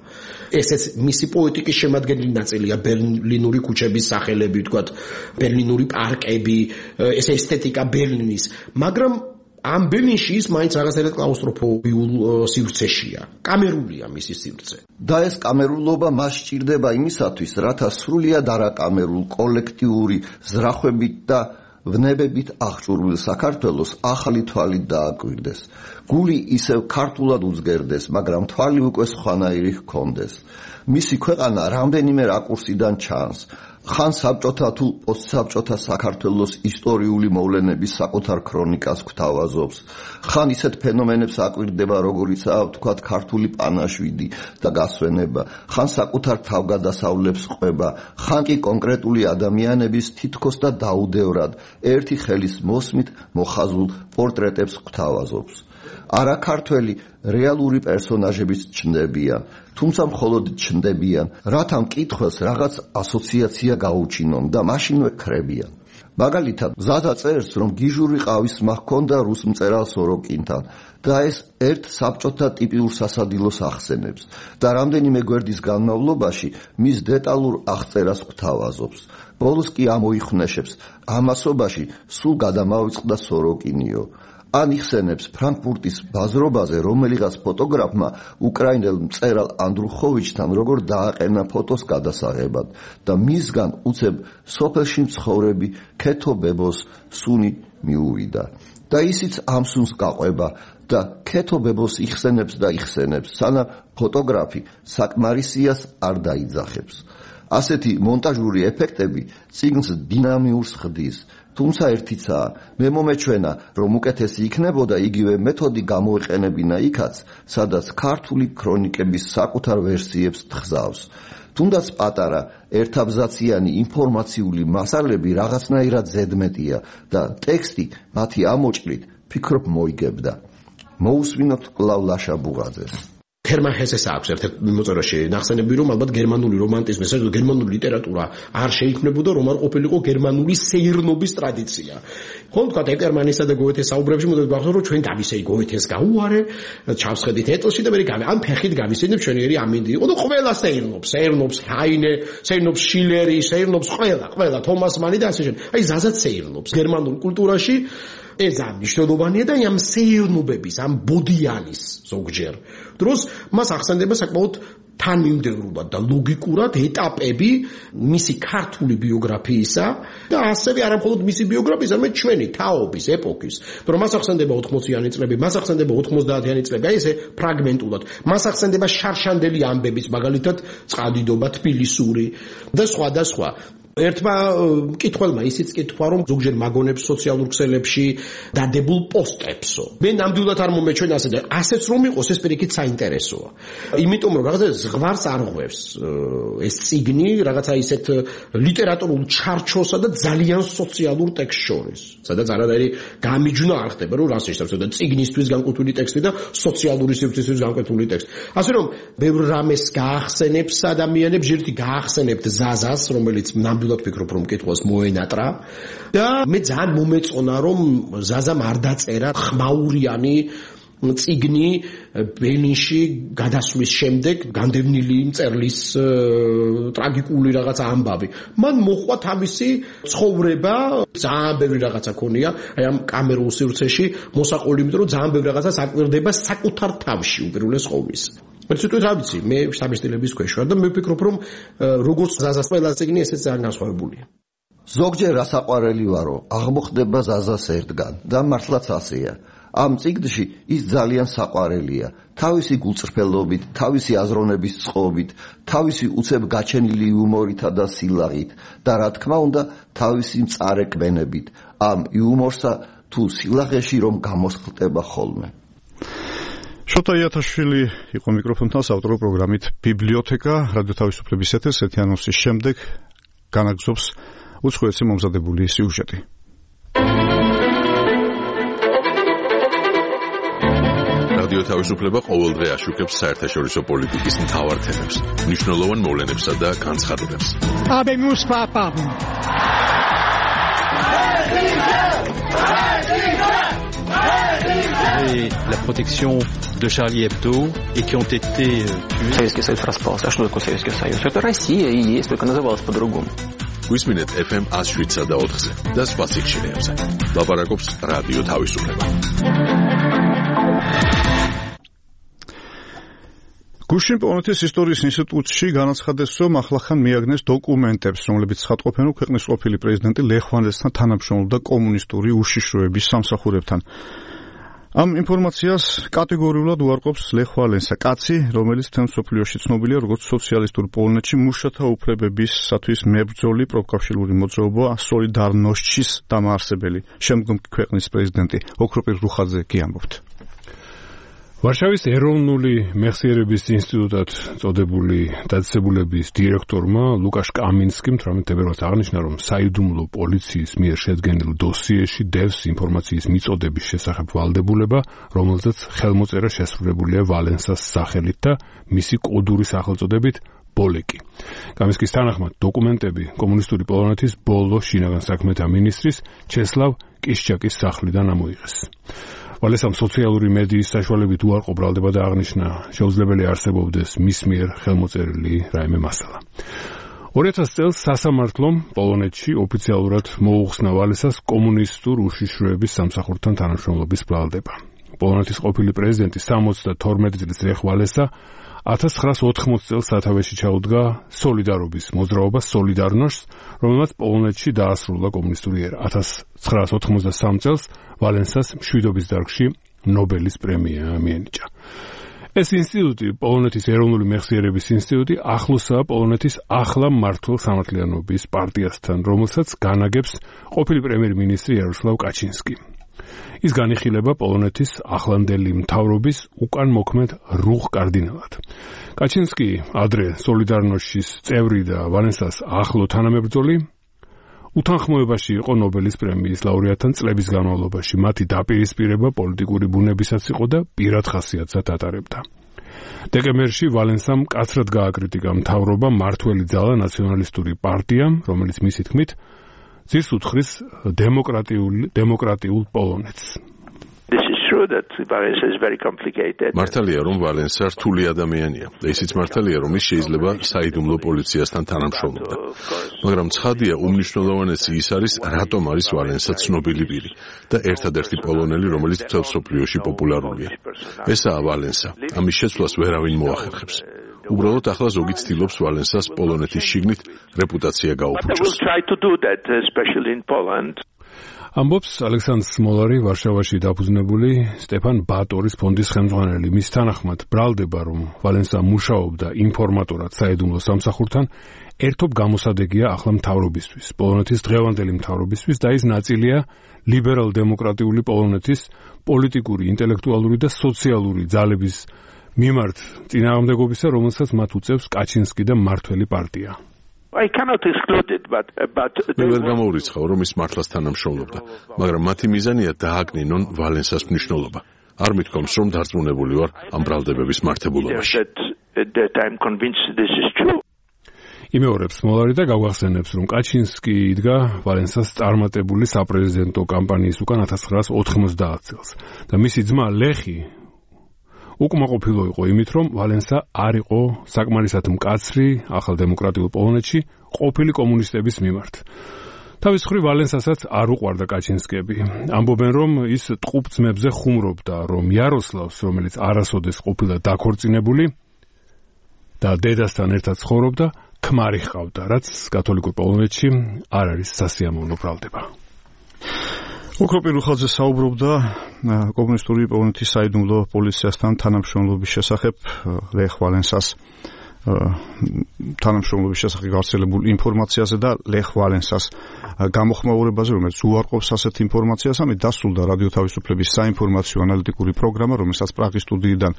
ესეც მისი პოეტიკის შემადგენელი ნაწილია, ბერლინური ქუჩების სახელები, ვთქვათ, ბერლინური პარკები, ეს ესთეტიკა ბერლინის, მაგრამ ამ ბერლინში ის მაინც რაღაცერად კლაუსტროფობიულ სივრცეშია. კამერულია მისი სივრცე. და ეს კამერულობა მას სჭირდება იმისათვის, რათა სრულიად არაკამერულ, კოლექტიური ზრახვებით და ვნებებით აღჭურვილ საქართველოს ახალი თვალით დააკვირდეს. გული ისევ ქართულად უძგერდეს, მაგრამ თვალი უკვე სხვანაირი ჰქონდეს. მისი ქვეყანა რამდენიმე რაკურსიდან ჩანს. ხან საბჭოთა თუ პოსტსაბჭოთა საქართველოს ისტორიული მოვლენების საკუთარ ქრონიკას გვთავაზობს. ხან ისეთ ფენომენებს აკვირდება, როგორიცაა ვთქვათ ქართული პანაშვიდი და გასვენება, ხან საკუთარ თავგადასავლებს ყვება, ხან კი კონკრეტული ადამიანების თითქოს და დაუდევრად ერთი ხელის მოსმით მოხაზულ პორტრეტებს გვთავაზობს. არა ქართველი რეალური პერსონაჟებიც ჩნდებიან, თუმცა მხოლოდ ჩნდებიან, რათა მკითხველს რაღაც ასოციაცია გაუჩინონ და მაშინვე ქრებიან. მაგალითად, ზაზა წერს, რომ გიჟური ყავის სმა ჰქონდა რუს მწერალ სოროკინთან და ეს ერთ საბჭოთა ტიპიურ სასადილოს ახსენებს და რამდენიმე გვერდის განმავლობაში მის დეტალურ აღწერას გვთავაზობს. ბოლოს კი ამოიხვნეშებს, ამასობაში სულ გადამავიწყდა სოროკინიო. ან იხსენებს ფრანკფურტის ბაზრობაზე რომელიღაც ფოტოგრაფმა უკრაინელ მწერალ ანდრუხოვიჩთან როგორ დააყენა ფოტოს გადასაღებად და მისგან უცებ სოფელში მცხოვრები ქეთო ბებოს სუნი მიუვიდა და ისიც ამ სუნს გაყვება და ქეთო ბებოს იხსენებს და იხსენებს, სანამ ფოტოგრაფი საკმარისიას არ დაიძახებს. ასეთი მონტაჟური ეფექტები წიგნს დინამიურს ხდის. თუმცა ერთიცაა, მე მომეჩვენა, რომ უკეთესი იქნებოდა იგივე მეთოდი გამოეყენებინა იქაც, სადაც ქართული ქრონიკების საკუთარ ვერსიებს თხზავს. თუნდაც პატარა, ერთაბზაციანი ინფორმაციული მასალები რაღაცნაირად ზედმეტია და ტექსტი მათი ამოჭრით ფიქრობ მოიგებდა. მოусვინოთ კვლავ ლაშა ბუღაძეს. ჰერმან ჰესეს აქვს ერთ-ერთ მოწერაში ნახსენები, რომ ალბათ გერმანული რომანტიზმი, საერთოდ გერმანული ლიტერატურა არ შეიქმნებოდა, რომ არ ყოფილიყო გერმანული სეირნობის ტრადიცია. ხო, თქვა ეკერმანისა და გოეთეს საუბრებში მოდით გახსოვთ, რომ ჩვენ დავისეი გოეთეს გაუარე, ჩავსხედით ეტლში და მე ამ ფეხით გავისეინებ ჩვენიერი ამინდი იყო და ყველა სეირნობს ჰაინე, სეირნობს შილერი, სეირნობს ყველა თომას მანი და ასე შემდეგ. აი ზაზაც სეირნობს გერმანულ კულტურაში. ეს მნიშვნელოვანია და ამ სეირნობების, ამ ბოდიანის ზოგჯერ დროს მას ახსენდება საკმაოდ თანმიმდევრულად და ლოგიკურად ეტაპები მისი ქართული ბიოგრაფიისა და ასევე არა მხოლოდ მისი ბიოგრაფიის, არამედ ჩვენი თაობის ეპოქის. რომ მას ახსენდება 80-იანი წლები, მას ახსენდება 90-იანი წლები, აი ესე ფრაგმენტულად. მას ახსენდება შარშანდელი ამბების, მაგალითად, წყალდიდობა თბილისური და სხვა და სხვა. ერთმა მკითხველმა ისიც კითხვა, რომ ზოგჯერ მაგონებს სოციალურ ქსელებში დადებულ პოსტებსო. მე ნამდვილად არ მომეჩვენა ასე და ასეც რომ იყოს ეს პირიქით საინტერესოა. იმიტომ რომ რაღაცა ზღვარს არ ღვევს ეს წიგნი რაღაცა ისეთ ლიტერატურულ ჩარჩოსა და ძალიან სოციალურ ტექსტს შორის. სადაც არადაირი გამიჯვნა არ ხდება, რომ რას ნიშნავს და წიგნისთვის განკუთვნილი ტექსტი და სოციალური სივრცისთვის განკუთვნილი ტექსტი. ასე რომ ბევრ რამეს გაახსენებს ადამიანებს, ჯერჯერობით გაახსენებთ ზაზას, რომელიც ნამდვილად ვფიქრობ, რომ მკითხველს მოენატრა და მე ძალიან მომეწონა, რომ ზაზამ არ დაწერა ხმაურიანი წიგნი ბერლინში გადასვლის შემდეგ განდევნილი მწერლის ტრაგიკული რაღაცა ამბავი. მან მოხვა თავისი ცხოვრება, ძალიან ბევრი რაღაცა ქონია, აი ამ კამერულ სივრცეში მოსაყოლი, იმიტომ რომ ძალიან ბევრი რაღაცას აკვირდება საკუთარ თავში უპირველეს ყოვლისა. მე ცოტა რა ვიცი, მე შტაბისტილების ქვეშ ვარ და მე ვფიქრობ, რომ როგორც ზაზას ყველა წიგნი ესეც ძალიან განსხვავებულია. ზოგჯერ რასაყვარელი ვარო, აღმოხდება ზაზას ერთგან და მართლაც ასეა. ამ წიგნში ის ძალიან საყვარელია, თავისი გულწრფელობით, თავისი აზროვნების წყობით, თავისი უცებ გაჩენილი იუმორითა და სილაღით და რა თქმა უნდა, თავისი მწარე კბენებით, ამ იუმორსა თუ სილაღეში რომ გამოსხლტება ხოლმე. შოთა იათაშვილი იყო მიკროფონთან საავტორო პროგრამით ბიბლიოთეკა რადიო თავისუფლების ეთერს ეთიანოსის შემდეგ განაგზობს უცხოეთში მომზადებული სიუჟეტი. რადიო თავისუფლება ყოველდღე აშუქებს საერთაშორისო პოლიტიკის მთავარ თემებს, მნიშვნელოვან მოვლენებსა და განცხადებებს. Habemus papam. Et la protection de Charlie Hebdo et qui ont été tués. Советский Союз распался. А что такое Советский Союз? Это Россия и есть, только называлась по-другому. Გვისმინეთ FM 107-ზე და 4-ზე და სხვა სიგნალებზე. ლაპარაკობს რადიო თავისუფლება. გუშინ პოლონეთის ისტორიის ინსტიტუტში განაცხადეს, რომ ახლახან მიაგნეს დოკუმენტებს, რომლებიც ცხადყოფენ, რომ ქვეყნის ყოფილი პრეზიდენტი ლეხ ვალენსასთან თანამშრომლობდა კომუნისტური უშიშროების სამსახურებთან. ამ ინფორმაციას კატეგორიულად უარყოფს ლეხ ვალენსა, კაცი, რომელიც მთელ მსოფლიოში ცნობილია როგორც სოციალისტურ პოლონეთში მუშათა უფლებებისათვის მებრძოლი პროფკავშირული მოძრაობა სოლიდარნოშჩის დამაარსებელი. შემდგომ ქვეყნის პრეზიდენტი ოქროპირ რუხაძე კი ამბობთ. ვარშავის ეროვნული მეხსიერების ინსტიტუტად წოდებული დაწესებულების დირექტორმა ლუკაშ კამინსკიმ 18 თებერვალს აღნიშნა, რომ საიდუმლო პოლიციის მიერ შედგენილ დოსიეში დევს ინფორმაციის მიწოდების შესახებ ვალდებულება, რომელზეც ხელმოწერა შესრულებულია ვალენსას სახელით და მისი კოდური სახელწოდებით ბოლეკი. კამინსკის თანახმად დოკუმენტები კომუნისტური პოლონეთის ბოლო შინაგან საქმეთა მინისტრის ჩესლავ კიშჩაკის სახლიდან ამოიღეს. ვალენსამ სოციალური მედიის საშუალებით უარყოფ ბრალდება და აღნიშნა, შეუძლებელი არსებობდეს მის მიერ ხელმოწერილი რაიმე მასალა. 2000 წელს სასამართლომ პოლონეთში ოფიციალურად მოუხსნა ვალენსას კომუნისტურ უშიშროების სამსახურთან თანამშრომლობის ბრალდება. პოლონეთის ყოფილი პრეზიდენტი 72 წლის ლეხ ვალენსა 1980 წელს სათავეში ჩაუდგა სოლიდარობის მოძრაობა სოლიდარნოშს, რომელმაც პოლონეთში დაასრულა კომუნისტური ერა. 1993 წელს ვალენსას მშვიდობის დარგში ნობელის პრემია მიენიჭა. ეს ინსტიტუტი, პოლონეთის ეროვნული მეხსიერების ინსტიტუტი, ახლოსაა პოლონეთის ახლა მმართველ სამართლიანობის პარტიასთან, რომელსაც განაგებს ყოფილი პრემიერ-მინისტრი იაროსლავ კაჩინსკი. ის განიხილება პოლონეთის ახლანდელი მთავრობის უკან მოქმედ რუხ კარდინალად. კაჩინსკი ადრე სოლიდარნოშის წევრი და ვალენსას ახლო თანამებრძოლი უთანხმოებაში იყო ნობელის პრემიის ლაურეატთან წლების განმავლობაში. მათი დაპირისპირება პოლიტიკური ბუნებისაც იყო და პირად ხასიათსაც ატარებდა. დეკემბერში ვალენსამ მკაცრად გააკრიტიკა მთავრობა მართველი ძალა ნაციონალისტური პარტიამ, რომელიც მისი თქმით ძირს უძღვრის დემოკრატიულ პოლონეთს. მართალია, რომ ვალენსა რთული ადამიანია და ისიც მართალია, რომ ის შეიძლება საიდუმლო პოლიციასთან თანამშრომლობდა. მაგრამ ცხადია, უმნიშვნელოვანესი ის არის, რატომ არის ვალენსა ცნობილი პირი და ერთადერთი პოლონელი, რომელიც მთელ მსოფლიოში პოპულარულია. ესაა ვალენსა. ამის შეცვლას ვერავინ მოახერხებს. უბრალოდ ახლა ზოგი ცდილობს ვალენსას პოლონეთის შიგნით რეპუტაცია გაუფუჭოს. ამბობს ალექსანდრ სმოლარი, ვარშავაში დაფუძნებული სტეფან ბატორის ფონდის ხელმძღვანელი. მის თანახმად, ბრალდება, რომ ვალენსა მუშაობდა ინფორმატორად საიდუმლო სამსახურთან, ერთობ გამოსადეგია ახლა მთავრობისთვის, პოლონეთის დღევანდელი მთავრობისთვის და ის ნაწილია ლიბერალ-დემოკრატიული პოლონეთის პოლიტიკური, ინტელექტუალური და სოციალური ძალების მიმართ წინააღმდეგობისა, რომელსაც მათ უწევს კაჩინსკი და მმართველი პარტია. I cannot exclude it, but მე ვერ გამოურიცხავ, რომ ის მართლაც თანამშრომლობდა, მაგრამ მათი მიზანია დააკნინონ ვალენსას მნიშვნელობა. არ მithkoms, რომ დარწმუნებული ვარ ამ ბრალდებების მართებულობაში. იმეორებს მოლარი და გავახსენებს, რომ კაჩინსკი იდგა ვალენსას წარმატებული საპრეზიდენტო კამპანიის უკან 1990 წელს და მისი ძმა ლეხი უკმაყოფილო იყო იმით, რომ ვალენსა არ იყო საკმარისად მკაცრი ახალ დემოკრატიულ პოლონეთში ყოფილი კომუნისტების მიმართ. თავის მხრივ ვალენსასაც არ უყვარდა კაჩინსკები. ამბობენ, რომ ის ტყუპ ძმებზე ხუმრობდა, რომ იაროსლავს, რომელიც არასოდეს ყოფილა დაქორწინებული და დედასთან ერთად ცხოვრობდა, ქმარი ჰყავდა, რაც კათოლიკურ პოლონეთში არ არის სასიამოვნო ბრალდება. ოქროპირ რუხაძე საუბრობდა კომუნისტური პოლონეთის საიდუმლო პოლიციასთან თანამშრომლობის შესახებ ლეხ ვალენსას თანამშრომლობის შესახებ გავრცელებულ ინფორმაციაზე და ლეხ ვალენსას გამოხმაურებაზე, რომელიც უარყოფს ასეთ ინფორმაციას. ამით დასრულდა რადიო თავისუფლების საინფორმაციო ანალიტიკური პროგრამა, რომელსაც პრაღის სტუდიიდან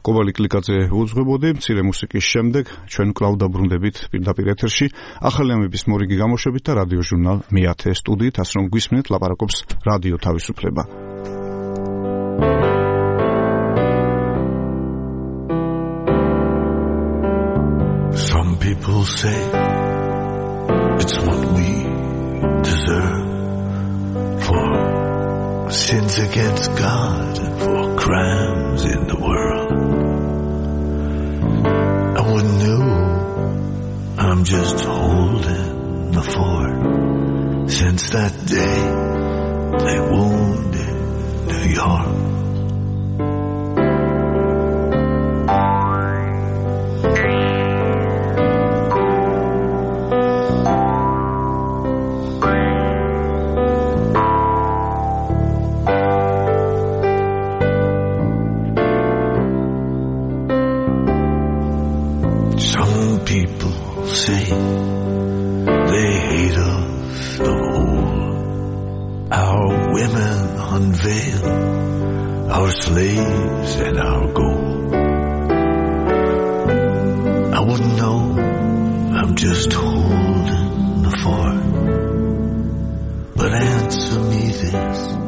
კობალი კლიკაძე უძღვებოდი. მცირე მუსიკის შემდეგ ჩვენ კვლავ დაბრუნდებით პირდაპირ ეთერში ახალი ამების მორიგი გამოშვებით და რადიო ჟურნალ მე-10 სტუდიით, ასე რომ გვისმენთ, ლაპარაკობს რადიო თავისუფლება. Some people say it's what we deserve for sins against God and for crimes in the world. I wouldn't know, I'm just holding the fort. Since that day they wounded New York. say they hate us the whole. Our women unveil our slaves and our gold. I wouldn't know, I'm just holding the fort. But answer me this.